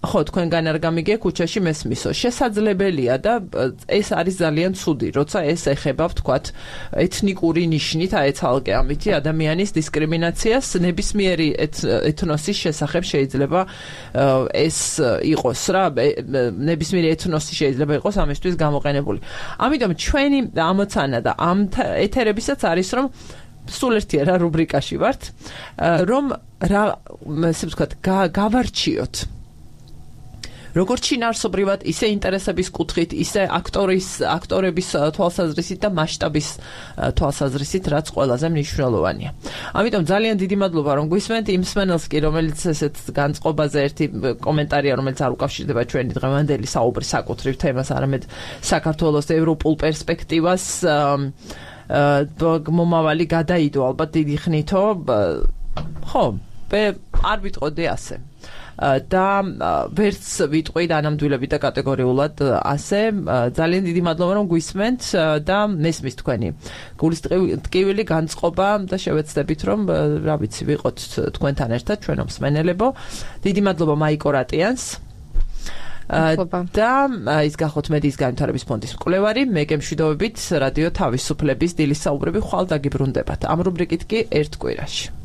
ხო, თქვენგან არ გამიგე ქუჩაში მესმისო. შესაძლებელია და ეს არის ძალიან ცუდი, როცა ეს ეხება, ვთქვათ, ეთნიკური ნიშნით აეცალკე ამითი ადამიანის დისკრიმინაციას, ნებისმიერი ეთნოსის შესახებ შეიძლება ეს იყოს რა, ნებისმიერი ეთნოსი შეიძლება იყოს ამისთვის გამოყენებული. ამიტომ ჩვენი ამოცანა და ამ ეთერებისაც არის, რომ სულ ერთია რა რუბრიკაში ვართ, რომ რა, ესე ვთქვათ, გავარჩიოთ როგორც შინაარსობრივად, ისე ინტერესების კუთხით, ისე აქტორის, აქტორების თვალსაზრისით და მასშტაბის თვალსაზრისით, რაც ყველაზე მნიშვნელოვანია. ამიტომ ძალიან დიდი მადლობა, რომ გვისმენთ იმ მსმენელს კი, რომელიც ესეთ განწყობაზე ერთი კომენტარია, რომელიც არ უკავშირდება ჩვენი დღევანდელი საუბრის საკუთრივ თემას, არამედ საქართველოს ევროპულ პერსპექტივას მომავალი გადაიდო ალბათ დიდი ხნითო. ხო, არ ვიტყოდი ასე. და ვერც ვიტყვი დანამდვილებით და კატეგორიულად ასე. ძალიან დიდი მადლობა, რომ გვისმენთ და მესმის თქვენი გულის ტკივილი განწყობა და შევეცდებით, რომ რა ვიცი, ვიყოთ თქვენთან ერთად ჩვენო მსმენელებო. დიდი მადლობა მაიკო რატიანს და ის გახოთ მედიის განვითარების ფონდის მკვლევარი. მე გემშვიდობებით რადიო თავისუფლების დილის საუბრები ხვალ დაგიბრუნდებათ. ამ რუბრიკით კი ერთ კვირაში.